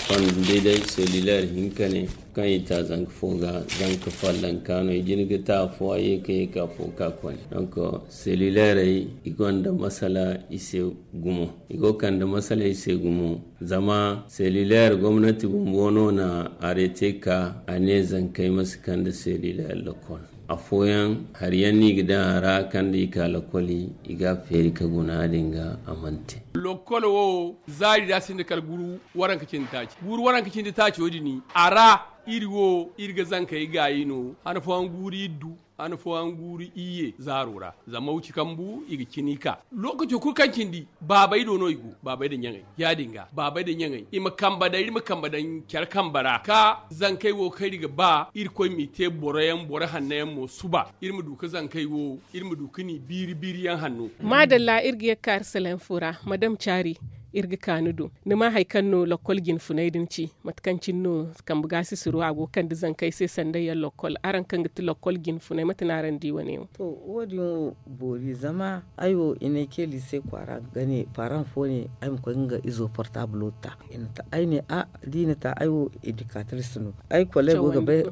Konda day day selulaire hinka ne kaŋ i ta zanka fo ga zanka fallanka no i jin ga ta afo a ye ka ye ka afo ka kone. Donk selulairey i gonda masala i se gumo. I go ga kande masala i se gumo. Zama selulaire gomnati bumbo no na arete ka a ne zankey ma si kande selulaire lokol. Afooyaŋ hari yaŋ no i ga daŋ a ra kaŋ da i ka lokoli i ga a feeri ka guna din ga a mana te. Lokol wo zaari da a sinda kala guru waranka cindi taaci guru waranka cindi taaco din a ra. Iri wo iri ga zankey gaayi no han fooyaŋ guuru iri du han fooyaŋ guuru iyye zaaro ra. Zama wuci kambu i ga cini ka lookaco kulu kaŋ cindi baabey do no i go. Baabey nda ɲaŋey ya- din ga baabey nda ɲaŋey i ma kambe daŋ iri ma kambe daŋ care kambe ra ka zankey wo kaŋ iri ga ba irkoy m'i te boro yaŋ boro hanno yaŋ mo suba iri ma du ga zankey wo iri ma du ga ni biiri biiri yaŋ hanno. Maadalla iri ga ye ga kaari salaŋ fo ra madam caari. Iri ga ka ni do ni ma hari kaŋ no lokkol jinfunay din ci mate kaŋ cine no kambe gaasisiro a go ga kande zankey se sanda yaŋ lokkol araŋ kaŋ ga ti lokkol jinfunay mate no araŋ di wane wo? To wo- din wo boori zama ay wo i ne ay ce liise kwaara ga ne paaraŋ fo ne ay ma koy ga nga izo portabulo ta. I na ta ay ne a da i na ta ay wo edikatris no. Ay koleego ga bay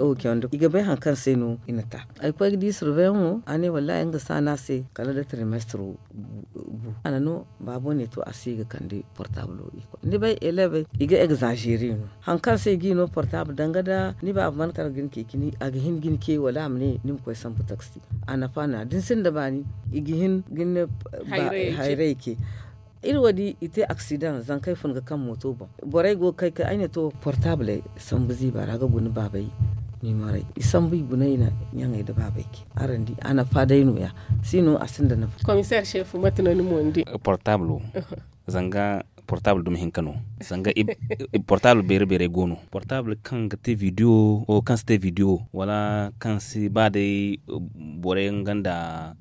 i ga bay hari kaŋ se no i na ta. Ay koy ga di surveyaŋo a ne wallaahi nga si a ne a se kala da tirimestiro. Bu a na no baabo ne to a si ga kande portabulo. Ni bay elevey i ga egzazere no hari kaŋ se i g'i no portable danga da ni baaba mana kar ga ni ce cine a ga hin ga ni ce wala a ma ne ni ma koy sambu taksi. A nafa no ya da ni sinda baani i ga hin ga ni ne hayray ce. Iri wo- din i te aksidaŋ zankey fun ga kaŋ mooto boŋ. Borey go ga kay kay ay ne to portabley sambu ziiba ra ga guna baabey. Niimarey i sambu i guna i na ɲaŋey nda baabey ce. Araŋ di a nafa day no- ya si no a sinda nafa. Komiseer seefu mate no ni mo ni di? Portablo zanga portable dumi hinka no. Zanga portable beere beerey go no portable kaŋ ga te video wo kaŋ si te video wala kaŋ si ba day borey nga nda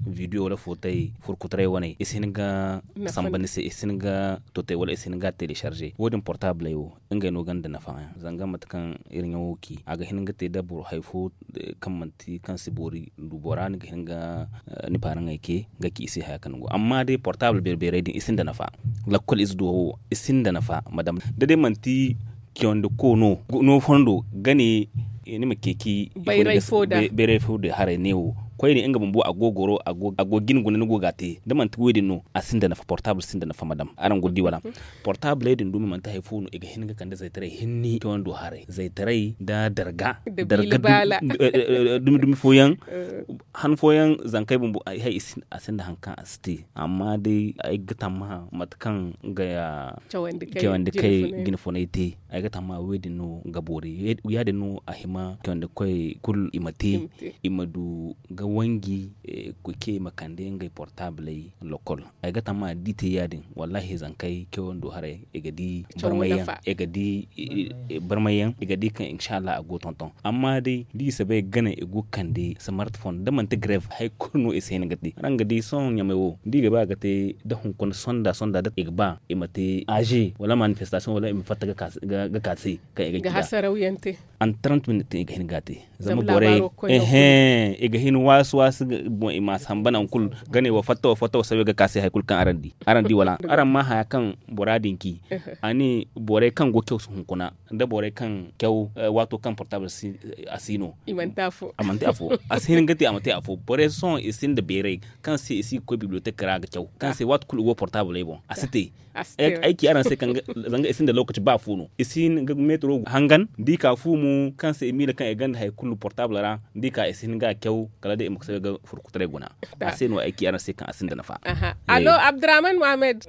video wala footay furkutaray wane i si hin ga samba ni se i si hin ga totay wala i si hin ga a telecharge wo- din portable wo. Ngey no gonda nafa zanga mate kaŋ iri ɲaŋo ci a ga hin ga te da boro hari fo kaŋ manti kaŋ si boori du bora ni ga hin ga ni paaraŋey ce ga ci i se haya kaŋ go amma day portable beere beerey din i sinda nafa. Lakkol ize duwa wo i sinda nafa madam da day manti ciyawandi ko no no fondo ga ne ni ma ceeci bayray fo da haray ne wo koyne nga bumbo a go goro a go jine guna ni go ga a te da manti wo- din no a sinda nafa portable sinda nafa madam araŋ go ga di wala? Portabley din dumi manti hari fo no i ga hin ga kande zaytaray hinne cawando haray zaytaray nda darga darga dumi dumi fooyaŋ. Han fooyaŋ zankey bumbo a sinda hari kaŋ a si te amma day ay ga tammaha mate kaŋ nga cawandi kay jine funay te. Ay ga tammaha wo- din no ga boori ya- din no a hima cawandi koy kulu i ma te i ma du ga wanji. Kuce i ma kande ngey portabley lokol. Ay ga tammaha da i te ya- din wallaahi zankey cawando haray i ga di barmay yaŋ i ga di barmay yaŋ i ga di kaŋ insa allah a go tonton amma day da i si bay gane i go ga kande smartphone da manti grave hari kulu no i si hin ga te araŋ ga di sohõ ɲamay wo da i ga ba ga te da hunkuna sonda sonda da i ga ba i ma te aze wala manifestation wala i ma fatta ga ka se kaŋ i ga ci da hasaraw yaŋ te. An trente minutes i ga hin ga a te. Zama borey, ehe, i ga hin waasu waasu boŋ i ma a samba nangu kulu. Ga ne wa fatta wa fatta wa sawe ga ka se hari kulu kaŋ araŋ di araŋ di wala araŋ ma haya kaŋ bora din ci. A ne borey kaŋ go caw si hunkuna nda borey kaŋ caw, waato kaŋ portable a si no. A manti afo a si hin ga te a ma te afo borey sohõ i sinda beeray kaŋ se i si ga koy bibliotek ra ga caw kaŋ se waati kulu i go portabley boŋ a si te. Ay ci araŋ se kaŋ zanga i sinda lokaci ba fu no i si hin ga metro hangan da i ka fu mo kaŋ se i miila kaŋ i ganda hari kulu portable ra da i ka i si hin ga a caw kala day i ma ga sabe ga furkutaray guna. A se no ay ci araŋ se kaŋ a sinda nafa. Allo abdurrahman mohammed.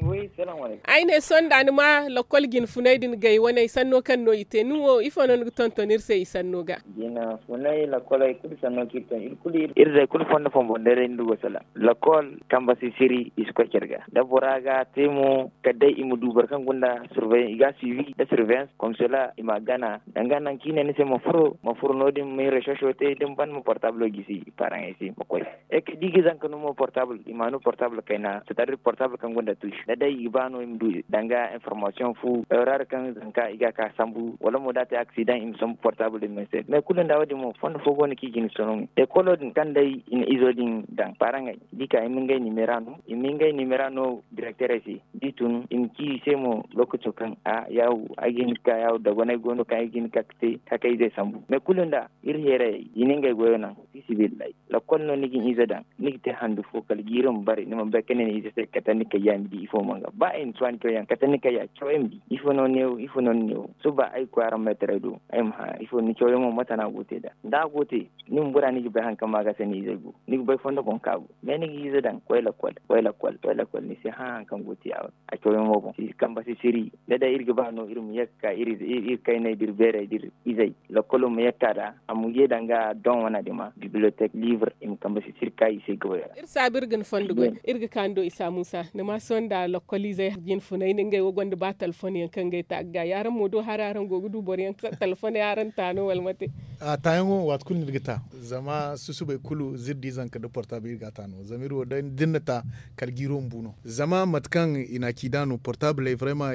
Ay ne sohõ da ni ma lakkol jinfunay din gay wane sanno kaŋ no i te ni wo ifo no ni ga tonton iri se i sanno ga? Jina funay lakkol ay kulu sanno kaŋ iri te iri kulu iri day kulu fondo fombo day ra iri go salaŋ. Lakkol kamba sisiri i si koy care ga da bora ga te mo kala day i ma du boro kaŋ gunda surveillance i ga a suivi nda surveillance comme cela i ma a gana danga nangu kaŋ i ne ni se ma furo ma furo no- din ma hin recherche te da ni ban ma portable gisi. Paraŋey se ma koy. Eke da i ga zanka no mo portable i ma no portable kayna c'est à dire portable kaŋ gonda touche da day i ga ba no i ma du danga information fu erreur kaŋ zanka i ga ka sambu wala mo da a te accident i ma sambu portable din ma se mais kulu nda wo- din mo fondo fo go no kaŋ i ga ni sono. Ekolo din kaŋ day i na izo din daŋ paraŋey da i ka i ma ngey nimera no i ma ngey nimera no directeurey se da i tun i ma ci i se mo lokaco kaŋ a yaawu ay ga hin ga ka yaawu dagonay go no kaŋ ay ga hin ga ka ga te takayzey sambu mais kulu nda iri heerayey i na ngey goyo naŋ. Fi sabilillahi lakkol no ni ga ni ize daŋ ni ga te handu fo kala jiiri ma bare ni mana bay kaŋ ne ni ize se kate ni kayya ni di ifo mana ga ba ay na tuwa ni cawyaŋ kate ni kayya cawyaŋ ma di ifo no neewo ifo no ni neewo suba ay ga koy araŋ meetaray do ay ma hã ifo ni cawyaŋo mate no a go ga te nd'a da a go ga te ni bumbo ra ni ga bay hari kaŋ ma ga se ni izey go ni ga bay fondo boŋ kaŋ a go mais ni ga ize daŋ koy lakkol koy lakkol koy lakkol ni si hã hari kaŋ go ga te ya- din a cawyaŋo boŋ kamba sisiri da day iri ga ba no iri ma ye ga ka iri kayney da iri beerey da iri izey lakkolo ma ye ga ka nd'a a ma ye danga doŋ wana din ma bibliotek livre i ma kambe sisiri ka i se ga wayra. Iri saabu iri ga ni fondo goy iri ga ka ni do isa muusa ni ma sohõ nda lakkoliizey jinfunay ni ngey wo gonda ba talfon yaŋ kaŋ ngey ta ga ga yaaraŋ mo do hari araŋ go ga du boro yaŋ talfon yaŋ araŋ ta no wala mate? A taayaŋo waati kulu no iri ga ta zama susubay kulu zirdi zanka nda portable iri ga a ta no zama iri wo da ni na ta kala jiiro ma bu no zama mate kaŋ i na a ci nd'a no portabley vrayma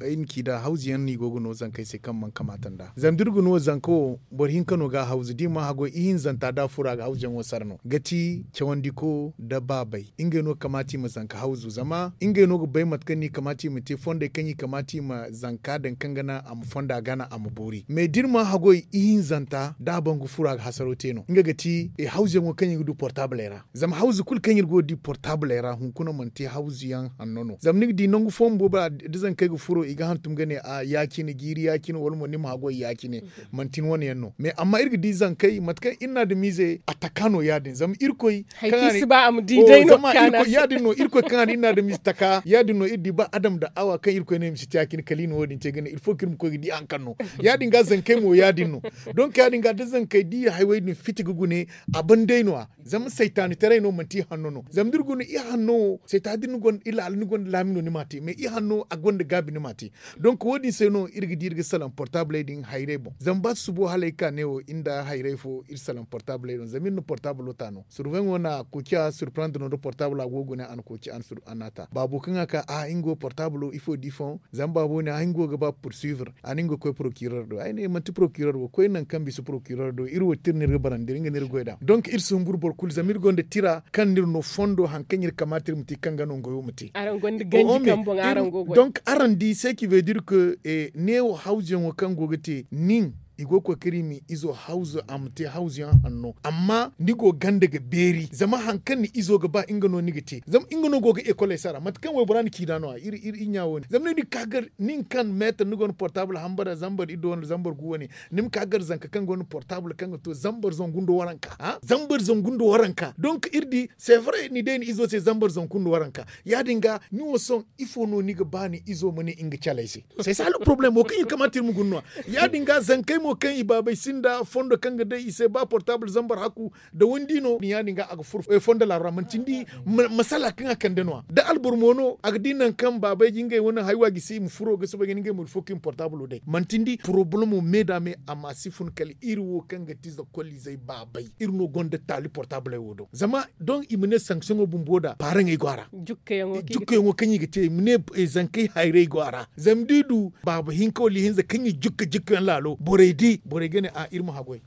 ay na ci nd'a hawzu yaŋ no i go ga no zankey se kaŋ mana kamaata nd'a zama da iri ga no zanka wo boro hinka no ga a hawzu da i mana haggoy ihinzanta da a furo a ga hawzuyaŋo sara no ga ti cawandiko nda baabay ngey no ga kamaata i ma zanka hawzu zama ngey no ga bay mate kaŋ no i kamaata i ma te fondey kaŋ i kamaata i ma zanka daŋ kaŋ ga naŋ a ma fonda gana a ma boori mais da iri mana haggoy ihinzanta da a ban ga furo a ga hasaro te no nga ga ti hawzuyaŋo kaŋ i ga du portabley ra zama hawzu kulu kaŋ iri go ga di portabley ra hunkuna mana te hawzuyaŋ hanno no zama ni ga di nangu fooyaŋ boobo ra da zankey ga furo i ga hantum ga ne a ya- cine jiiri ya- cine wala mo ni ma haggoy ya- cine manti ni wane yaŋ no mais amma iri ga di zankey mate kaŋ iri na adamiizey a taka no ya- din zama irkoy kaŋ a na i si ba a ma di day no kaŋ a na i si ya- din no irkoy kaŋ a na iri na adamiize taka ya- din no iri di ba adam nda awa kaŋ irkoy no i ma si te ya- cine kala i na wo- din te ga ne ilfo kaŋ iri ma koy ga di hari kaŋ no ya- din ga zankey mo ya- din no donk ya- din ga da zankey da i haywey din fiti ga gune a ban day no- ya zama saytaanitaray no manti i hanno no zama da iri guna i hanno wo saytaani da ni gonda i laala ni gonda laami no ni m'a te mais i hanno a gonda gaabi ni m'a te donk wo- din se no iri ga di iri ga salaŋ portabley din hayrey boŋ zama ba susubo hala ay ga ka neewo iri nda hayrey fo iri salaŋ portabley din zama iri na portablo ta no surveyaŋo na kooci a surprendre no da portablo a go ga guna a na kooci a na a ta baabo kaŋ a ka a nga wo portablo ifo da ifo zama baabo ne a nga wo ga ba poursuivre a na nga koy procureur do ay ne manti procureur wo koy nangu kaŋ bisa procureur do iri wo tira no iri ga barandi iri nga no iri ga goy nd'a donk iri si humburu boro kulu zama iri gonda tira kaŋ no iri no fondo hari kaŋ iri kamaata iri ma te kaŋ ga no nga wo ma te araŋ gonda ganji kaŋ boŋ araŋ go ga goy donk araŋ di se ki veut dire que neewo hawzuyaŋo kaŋ go ga te nin i go ga koy kaŋ iri ma izo hawzu a ma te hawzuyaŋ hanno amma ni go ganda ga beeri zama hari kaŋ ni izo ga ba nga no ni ga te zama nga no go ga ekoley sara mate kaŋ waybora na ciina no- ya iri iri ɲa wo- din zama ni ga ka gar nin kaŋ meetar ni gonda portable hambara zambar iddu wane zambar gu wane ni ma ka gar zanka kaŋ gonda portable kaŋ ga to zambar zangu nda waranka ha zambar zangu nda waranka donk iri di c'est vrai ni day ni izo se zambar zangu nda waranka ya- din ga ni wo sohõ ifo no ni ga ba ni izo ma ne nga caley se c'est ça le problème wo kaŋ iri kamaata iri ma guna no- ya ya- din ga zankey mo kaŋ i baabey sinda fondo kaŋ ga day i se ba portable zambar hakku da windi no ya- din ga a ga furo fondo laaro ra manti ni di masala kaŋ a kande no- ya da alboro mo no a ga di nangu kaŋ baabey ga ngey wane haywa gisi i ma furo ga soobay ga ne ngey mo ilfo kaŋ i ma portablo day manti ni di porobalemo me da me a ma si fun kala iri wo kaŋ ga ti zakkoliizey baabey iri no gonda taali portabley wo do zama don i ma ne sanksiyoŋo bumbo da paaraŋey go a ra jukkayaŋo kaŋ i ga te i ma ne zankey hayrey go a ra zama da i du baaba hinka wala ihinza kaŋ i jukka jukkayaŋ laalo borey di borey ga ne a iri ma haggoy.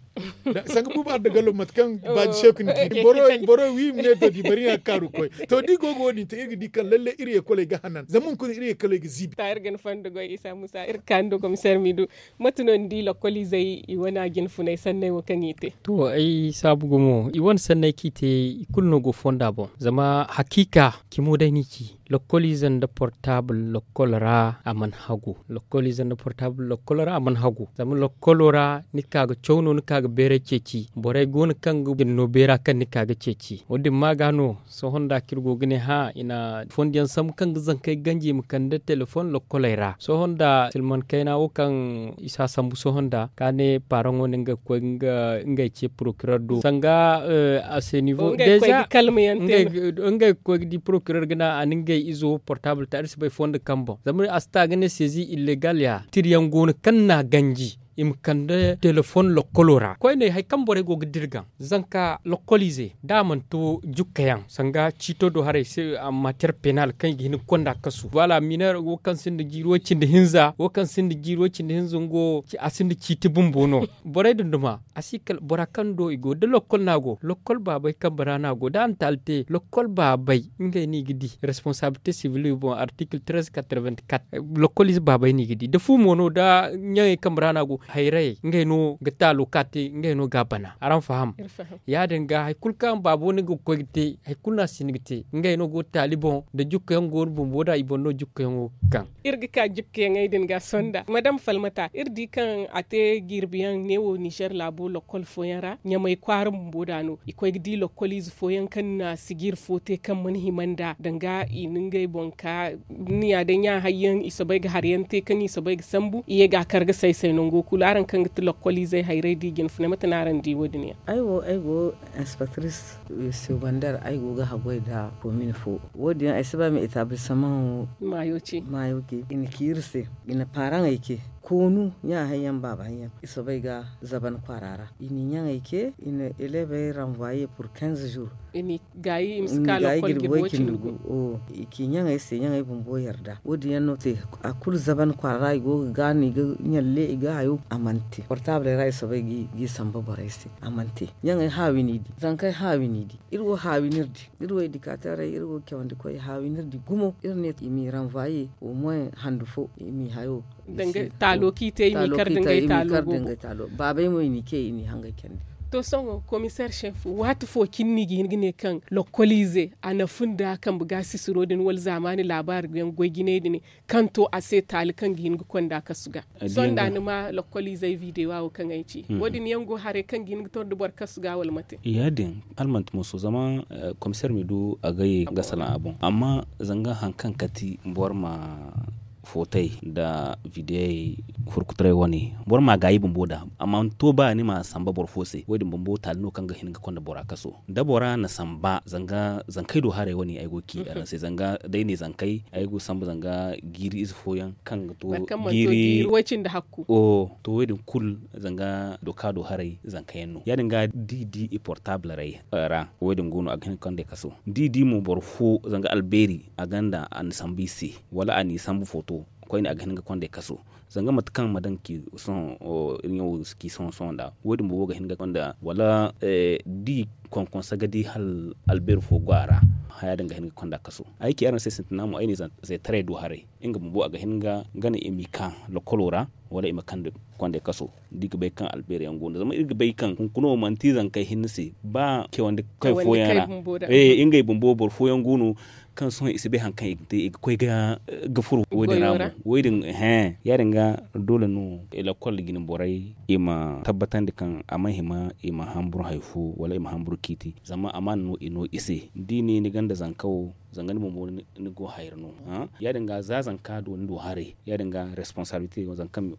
Sanga buuba adda gallo mate kaŋ baaji seeku ni di boro wi i ma ne to di bari iri na ga kaaru ga koy. To da iri go ga wo- din te iri ga di kaŋ lalle iri yeekoley ga hanan zama hunkuna iri yeekoley ga ziibi. Iri ga ni fondo goy isa muusa iri ga kaanu nda komiseer miidu. Mate no ni di lokkoliizey i wane a jine funay sanney wo kaŋ i te? To ay saabu gumo i wane sanney kaŋ i te i kulu no go fonda boŋ zama hakiika cimo day no i ci. Lokkoliize nda portaabul lokkol ra a mana hagu. Lokkoliize nda portaabul lokkol ra a mana hagu. Zama lokkolo ra ni ka ga caw no ni ka ga beeray ceeci borey go no kaŋ ga din no beera kaŋ ni ka ga ceeci wo- din ma ga no. Sohõ nda kaŋ iri go ga ne hã i na fondo yaŋ sambu kaŋ ga zankey ganji i ma kande telefoŋ lokkoley ra sohõ nda silman kayna wo kaŋ isa sambu sohõ nda ka ne paraŋo no ngey ga koy ngey ce porokirer do sanga a se nivo deeza. Ngey ga koy ga di porokirer ga ne a na ngey izo portaabul ta iri si bay fondo kaŋ boŋ zama a si ta ga ne seezi illegal ya tiri yaŋ go no kaŋ na ganji i ma kande telefoŋ lokkolo ra koyne hari kaŋ borey go ga dirgan zanka lokkoliize da a mana to jukkayaŋ sanga ciito do haray se a ma ter penal kaŋ i ga hin ga konda kasu wala miner wo kaŋ sinda jiiri way cindi hinza wo kaŋ sinda jiiri way cindi hinza nga wo a sinda ciiti bumbo no. Borey din duma a si kala bora kaŋ do i go da lokkol no a go lokkol baabey kambe ra no a go da a na taali te lokkol baabey ngey no i ga di responsabilite sivil boŋ artikil trez katrevent kat. Lokkoliize baabey no i ga di da fu mo no da ɲaŋey kambe ra no a go hayrayey ngey no ga taalo ka te ngey no ga a bana araŋ faham? Ya- din ga hari kulu kaŋ baabo no ga koy ga te hari kulu no a si hin ga te ngey no go ga taali boŋ da jukka yaŋ go no bumbo da i boŋ no jukka yaŋo ga kaŋ. Iri ga ka jukka yaŋey din ga sonda madam falmata iri di kaŋ a te jirbi yaŋ neewo nizer laabo lokkol fooyaŋ ra ɲamay kwaara bumbo da no i koy ga di lokkoliize fooyaŋ kaŋ na sijiiri fo te kaŋ mana hima nd'a danga i na ngey boŋ ka ni ya day ɲa hari yaŋ i soobay ga hari yaŋ te kaŋ i soobay ga sambu i ye ga a kar ga say say nango kulu araŋ kaŋ ga ti lokkoliizey hayrey da i jinfunay mate no araŋ di wo- din yaŋ? Ay wo ay go inspektris segondeer ay go ga haggoy nda komin fo wo- din yaŋ ay si ba ay ma etablisaman wo maayo ce i na ci iri se i na paaraŋey ce koonu ɲa hari yaŋ baaba hari yaŋ i soobay ga zaban kwaara ra i na i ɲaŋey ce i na eleebey ranvoye pur kinze zur i na i gaayi i ma si ka lokkol jirbi way cindi gu. I ci ɲaŋey se ɲaŋey bumbo yarda wo- din yaŋ no te a kulu zaban kwaara ra i go ga gaanu i ga ɲalle i ga hayo a mana te portaabuley ra i soobay g'i samba borey se a mana te. Ɲaŋey haawi no i di zankey haawi no i di iri wo haawi no iri di iri wo edikateerey iri wo cawandikoy haawi no iri di gumo iri ne i m'i ranvoye omoyen handu fo i m'i hayo. Taalo kaŋ i te i m'i kar da ngey taalo baabey mo i n'i ce i n'i hangay candi. To sohõ komiseer seef waati fo cine no i ga hin ga ne kaŋ lokkoliize a na fun nda kambe gaasisiro din wala zaamaani laabaari yaŋ goy jinay din kaŋ to a se taali kaŋ ga hin ga konda kasu ga? Sohõ nda ni ma lokkoliizey videwa wo kaŋ ay ci wo- din yaŋ go haray kaŋ ga hin ga tor da boro kasu ga wala mate? Ya- din hala manti mooso zama komiseer ma du a ga ye ga salaŋ a boŋ amma zanga hari kaŋ kati boro ma footey nda vidiyey furkutaray wane boro ma gaayi bumbo nd'a a mana to ba ni ma samba boro fo se wo- din bumbo taali no kaŋ ga hin ga konda bora kaso da bora na samba zanga zankey do haray wane ay go ga ci araŋ se zanga day ne zankey ay go ga samba zanga jiiri ize fooyaŋ kaŋ ga to jiiri way cindi hakku. To wo- din kulu zanga doka do haray zanka yaŋ no ya- din ga da i di i portaabul ra wo- din go no a ga hin ga konda i kaso da i di mo boro fo zanga albeeri a gonda a na samba i se wala a n'i sambu footo koyne a ga hin ga konda i kaso. Zanga mate kaŋ ma daŋ ki sohõ iri ɲaŋo ga si ki sohõ sohõ nd'a wo- din bumbo ga hin ga konda wala da i konkonse ga di hala albeeri fo go a ra haya din ga hin ga konda kaso. Ay ci araŋ se sintina mo ay ne zaytaray do haray nga bumbo a ga hin ga gana i m'i ka lokkolo ra wala i ma kande kondey kaso da i ga bay kaŋ albeeri yaŋ go no zama iri ga bay kaŋ hunkuna wo manti zankey hinne se ba cawandi kay fooyaŋ ra. Ngey bumbo boro fooyaŋ go no kaŋ sohõ i si bay hari kaŋ i ga te i ga koy ga furo wo- din ra mo wo- din. He ya- din ga doole no lakkol jine borey i ma tabbatandi kaŋ a ma hima i ma hamburu hari fo wala i ma hamburu ciiti zama amaana no i no i se da i ne ni gonda zanka wo zanga ni bumbo ni go hayra no. Ya- din ga za zanka do ni do haray ya- din ga responsaabilite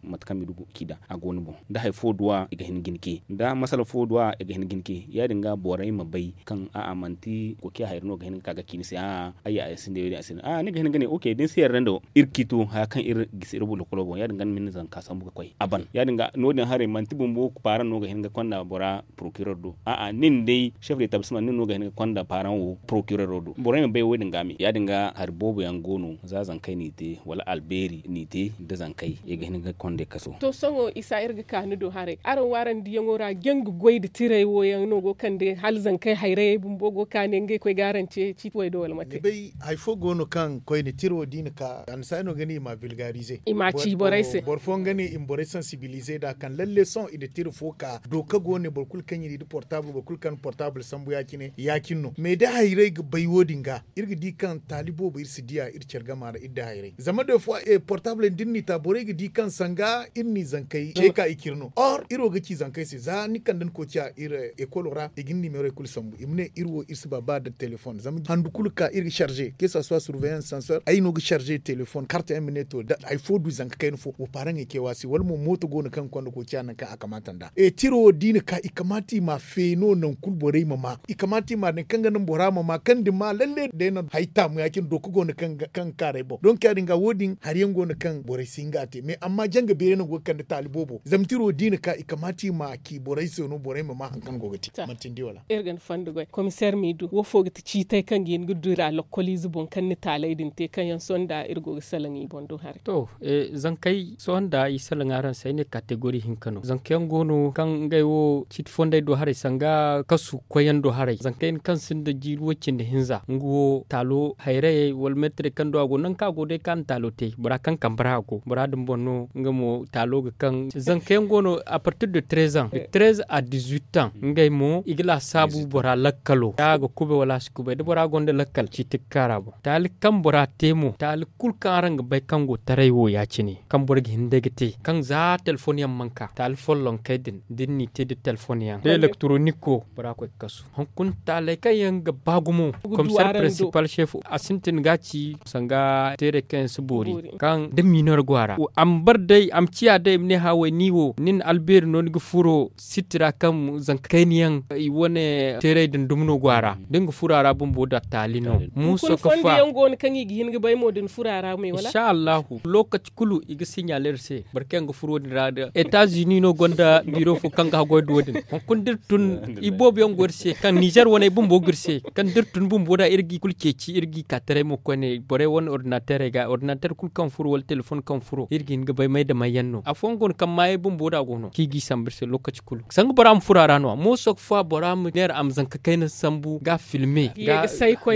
mate kaŋ ma i du ga ci nd'a a go ni boŋ da hari fo duw'a i ga hin ga ni ce da masala fo duw'a i ga hin ga ni ce ya- din ga borey ma bay kaŋ a'a manti kokiya hayra no ga hin ga ka ga ci ni se a'a ay ya ay sinda wo- din ay sinda a'a ni ga hin ga ne ok da ni si yarda nda iri ciito haya kaŋ iri gisi iri boro lakkolo boŋ ya- din ga ni ma ni zanka sambu ga koy a ban ya- din ga no- din haray manti bumbo paaraŋ no ga hin ga konda bora porokirer do a'a nin day chef de tablisma nin no ga hin ga konda paaraŋ wo porokirer do borey ma bay wo- din ga me ya- din ga hari boobo yaŋ go no za zankey n'i te wala albeeri n'i te nda zankey i ga hin ga kondey kaso. To sohõ isa iri ga ka ni do haray araŋ wo araŋ diyaŋo ra janga goy nda tirey wo yaŋ no go ga kande hala zankey hayrayey bumbo go ga ka ne ngey koy ga araŋ ce ciiti way do wala mate? Hari fo go no kaŋ koyne tiro da i na ka annisaari no ga ne i m'a vilgarize. I m'a ci borey se. Boro fooyaŋ ga ne i ma borey sansibilize nd'a kaŋ lalle sohõ i na tira fo ka dooka go ne boro kulu kaŋ iri nda portaabul boro kulu kaŋ na portaabul sambu ya- cine ya- cine no mais da hayray ga bay wo- din ga iri ga di kaŋ taali boobo iri si diya iri care gama ra iri da hayray zama de fo portaabul yaŋ da iri n'i ta borey ga di kaŋ sanga iri n'i zankey ce ka i cire no or iri wo ga ci zankey se za ni kande ni koy ciya iri ekolo ra i ga ni nimerey kulu sambu i ma ne iri wo iri si ba ba nda telefon zama handu kulu ga ka iri ga sarze ke sa suwa surveillance sansor ay no ga sarze telefon karta yaŋ ma ne to da hari fo du zanka kayna fo wa paaraŋey ce wa se wala mo mooto go no kaŋ ga konda koociya nangu kaŋ a kamaata nd'a tiro wo da i na ka i kamaata i m'a feeno nangu kulu borey ma ma i kamaata i m'a daŋ kaŋ ga naŋ bora ma ma kaŋ da ma lalle day no hari taamu ya- cine dooka go no kaŋ ga kaaray boŋ donk ya- din ga wo- din hari yaŋ go no kaŋ borey si hin ga a te mais amma janga beeri no go ga kande taali boobo zama tiro da i na ka i kamaata i m'a ci borey se no borey ma ma hari kaŋ go ga te manti ni di wala? Iri ga ni fondo goy komiseer m'i du wo fo ga ti ciitey kaŋ ga hin ga dira lokkoliize boŋ kaŋ ni taaley din te kaŋ yaŋ sohõ nda iri go ga salaŋ i boŋ do haray. To, zankey sohõ nda i salaŋ araŋ se ay ne kategori hinka no zanka yaŋ go no kaŋ ngey wo ciiti fondey do haray sanga kasu koyyaŋ do haray zanka yaŋ kaŋ sinda jiiri way- cindi hinza nga wo taalo hayrayey wala meetarey kaŋ do a go nangu kaŋ a go day kaŋ a na taalo te bora kaŋ kambe ra a go bora din boŋ no nga mo taalo ga kaŋ zanka yaŋ go no a partir de treze ans de treze à dix-huit ans ngey mo i ga laasaabu bora lakkalo da a ga kubay wala a si kubay da bora gonda lakkal ciiti ga kaara boŋ taali kaŋ bora te mo taali kulu kaŋ araŋ ga bay kaŋ go taray wo ya- cine kaŋ boro ga hin day ga te kaŋ za telefon yaŋ mana ka taali follonkey din da ni n'i te nda telefon yaŋ da elektronik wo bora koy ga kasu hunkuna taaley kaŋ yaŋ ga ba gumo komiseer prinsipal seef a sintin ga a ci sanga teerey kaŋ yaŋ si boori kaŋ da minor go a ra a ma bar day a ma ciya day i ma ne haway ni wo nin albeeri no ni ga furo siti ra kaŋ zanka kayna yaŋ i wane teeray din dumi no go a ra da ni ga furo a ra bumbo da taali no muuso ga fa. Yaŋ go no kaŋ i ga hin ga bay mo da ni furo a ra me wala? Insha allahu lookaci kulu i ga siɲaali iri se boro kaŋ yaŋ ga furo din ra da etazini no gonda biiro fo kaŋ ga haggoy da wo- din hunkuna da iri tun i boobo yaŋ go iri se kaŋ nizer waney bumbo ga iri se kaŋ da iri tun bumbo da iri ga i kulu ceeci iri ga i ka taray mo koyne borey wane ordinaterey ga ordinater kulu kaŋ furo wala telefon kaŋ furo iri ga hin ga bay may da may yaŋ no afooyaŋ go no kaŋ maayey bumbo da go no kaŋ i g'i sambu iri se lookaci kulu sanga bora ma furo a ra no-ya mooso ga fa bora ma neera a ma zanka kayna sambu ga a filme ga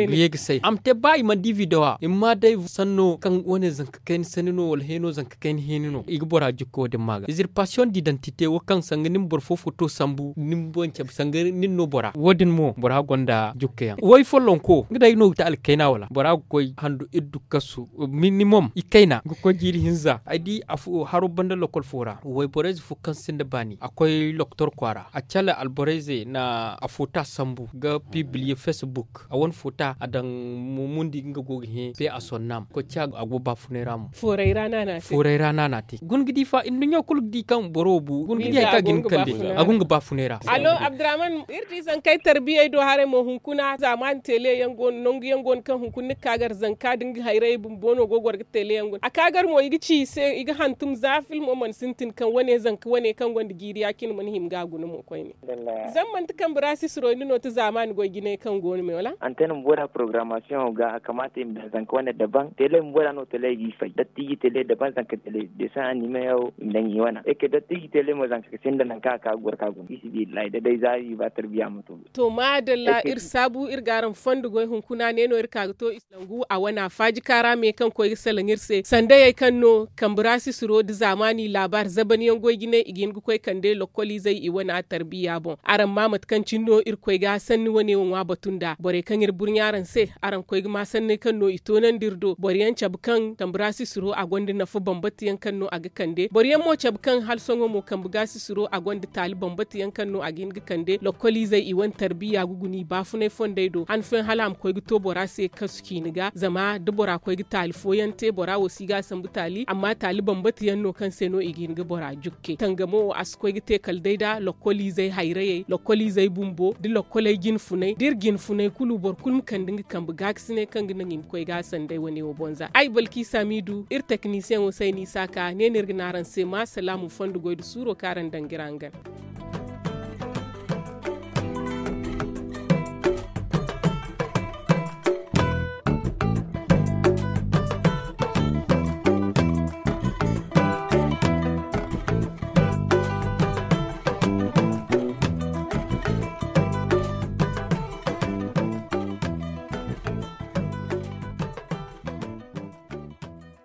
ye ga say a ma te ba i mana di videwa i ma ma day sanno kaŋ wane zanka kayna sanni no wala heeno zanka kayna heeni no i ga bora jukka wo- din ma ga izirpasiyoŋ didantite wo kaŋ sanga ni ma boro fo foto sambu ni ma boŋ cabe sanga nin no bora wo- din mo bora gonda jukka yaŋ way follonko nga day no ga te alkayna wala bora ga koy handu iddu kasu minimum i kayna ga koy jiiri hinza ay di haro banda lokol fo ra wayborayze fo kaŋ sinda baani a koy loktor kwaara a cale alborayze na a foota sambu ga pibliye facebook a wane foota a daŋ mundi nga go ga hẽ pe a sonnam koy ci a go baafunay ra mo fooray ra no a te guna ga di fa nduɲɲo kulu ga di kaŋ boro bu guna ga di hari kaŋ a ga hin ga kande a guna ga baafunay ra. Alo abdurrahman iri di zankey tarbiyey do haray mo hunkuna zaamaani tele yaŋ go no nangu yaŋ go no kaŋ hunkuna ni ga ka gar zanka da nga hayrayey bumbo no go goro ga tele yaŋ guna a ka gar mo i ga ci i se i ga hantum za filmo mana sintin kaŋ wane zanka wane kaŋ gonda jiiri ya- cine mana hima ga a guna mo koyne. Zama manti kambe ra sisiro ni no ti zaamaani goy jinay kaŋ go no me wala? Antenne bumbo da porogaramasiyoŋo ga a kamaata i ma daŋ zanka wane daban tele bumbo da no tele g'i fay dattiiji tele daban zanka tele desan animeyaŋo i ma daŋ i wane eke dattiiji tele mo zanka sinda nangu kaŋ a ka ga goro ka guna fisibillahi da day za i ba tarbiya ma to. To maadalla iri saabu iri ga araŋ fondo goy hunkuna ne no iri ka ga to i si nangu a wana faaji kaara me kaŋ koy ga salaŋ iri se sandayey kaŋ no kambe ra sisiro nda zaamaani laabaari zaban yaŋ goy jinay i ga hin ga koy kande lokkoliizey i wana tarbiya boŋ araŋ ma mate kaŋ cine no iri koy ga sanni wane wo ŋwa batu nda borey kaŋ iri burɲa araŋ se araŋ koy ga ma sanney kaŋ no i toonandi iri do boro yaŋ cabe kaŋ kambe ra sisiro a gonda nafa bambata yaŋ kaŋ no a ga kande boro yaŋ mo cabe kaŋ hala sohõ mo kambe ga sisiro a gonda taali bambata yaŋ kaŋ no a ga hin ga kande lokkoliizey i wane tarbiya ga guna i baafunay fondey do han fooyaŋ hala a ma koy ga to bora se kasu ciine ga zama da bora koy ga taali fooyaŋ te bora wo si ga a sambu taali amma taali bambata yaŋ no kaŋ se no i ga hin ga bora jukke tangamo wo a si koy ga te kala day da lokkoliizey hayrayey lokkoliizey bumbo da lokkoley jinfunay da iri jinfunay kulu boro kulu ma kande nga kambe gaakasinay kaŋ ga naŋ i ma koy ga a sanday wane wo boŋ za ay balki samidu iri teknisiyeŋo se ay n'i saaka ne no iri ga ne araŋ se ma salaamu fondo goy nda suuro kaŋ araŋ daŋ ga iri hangan.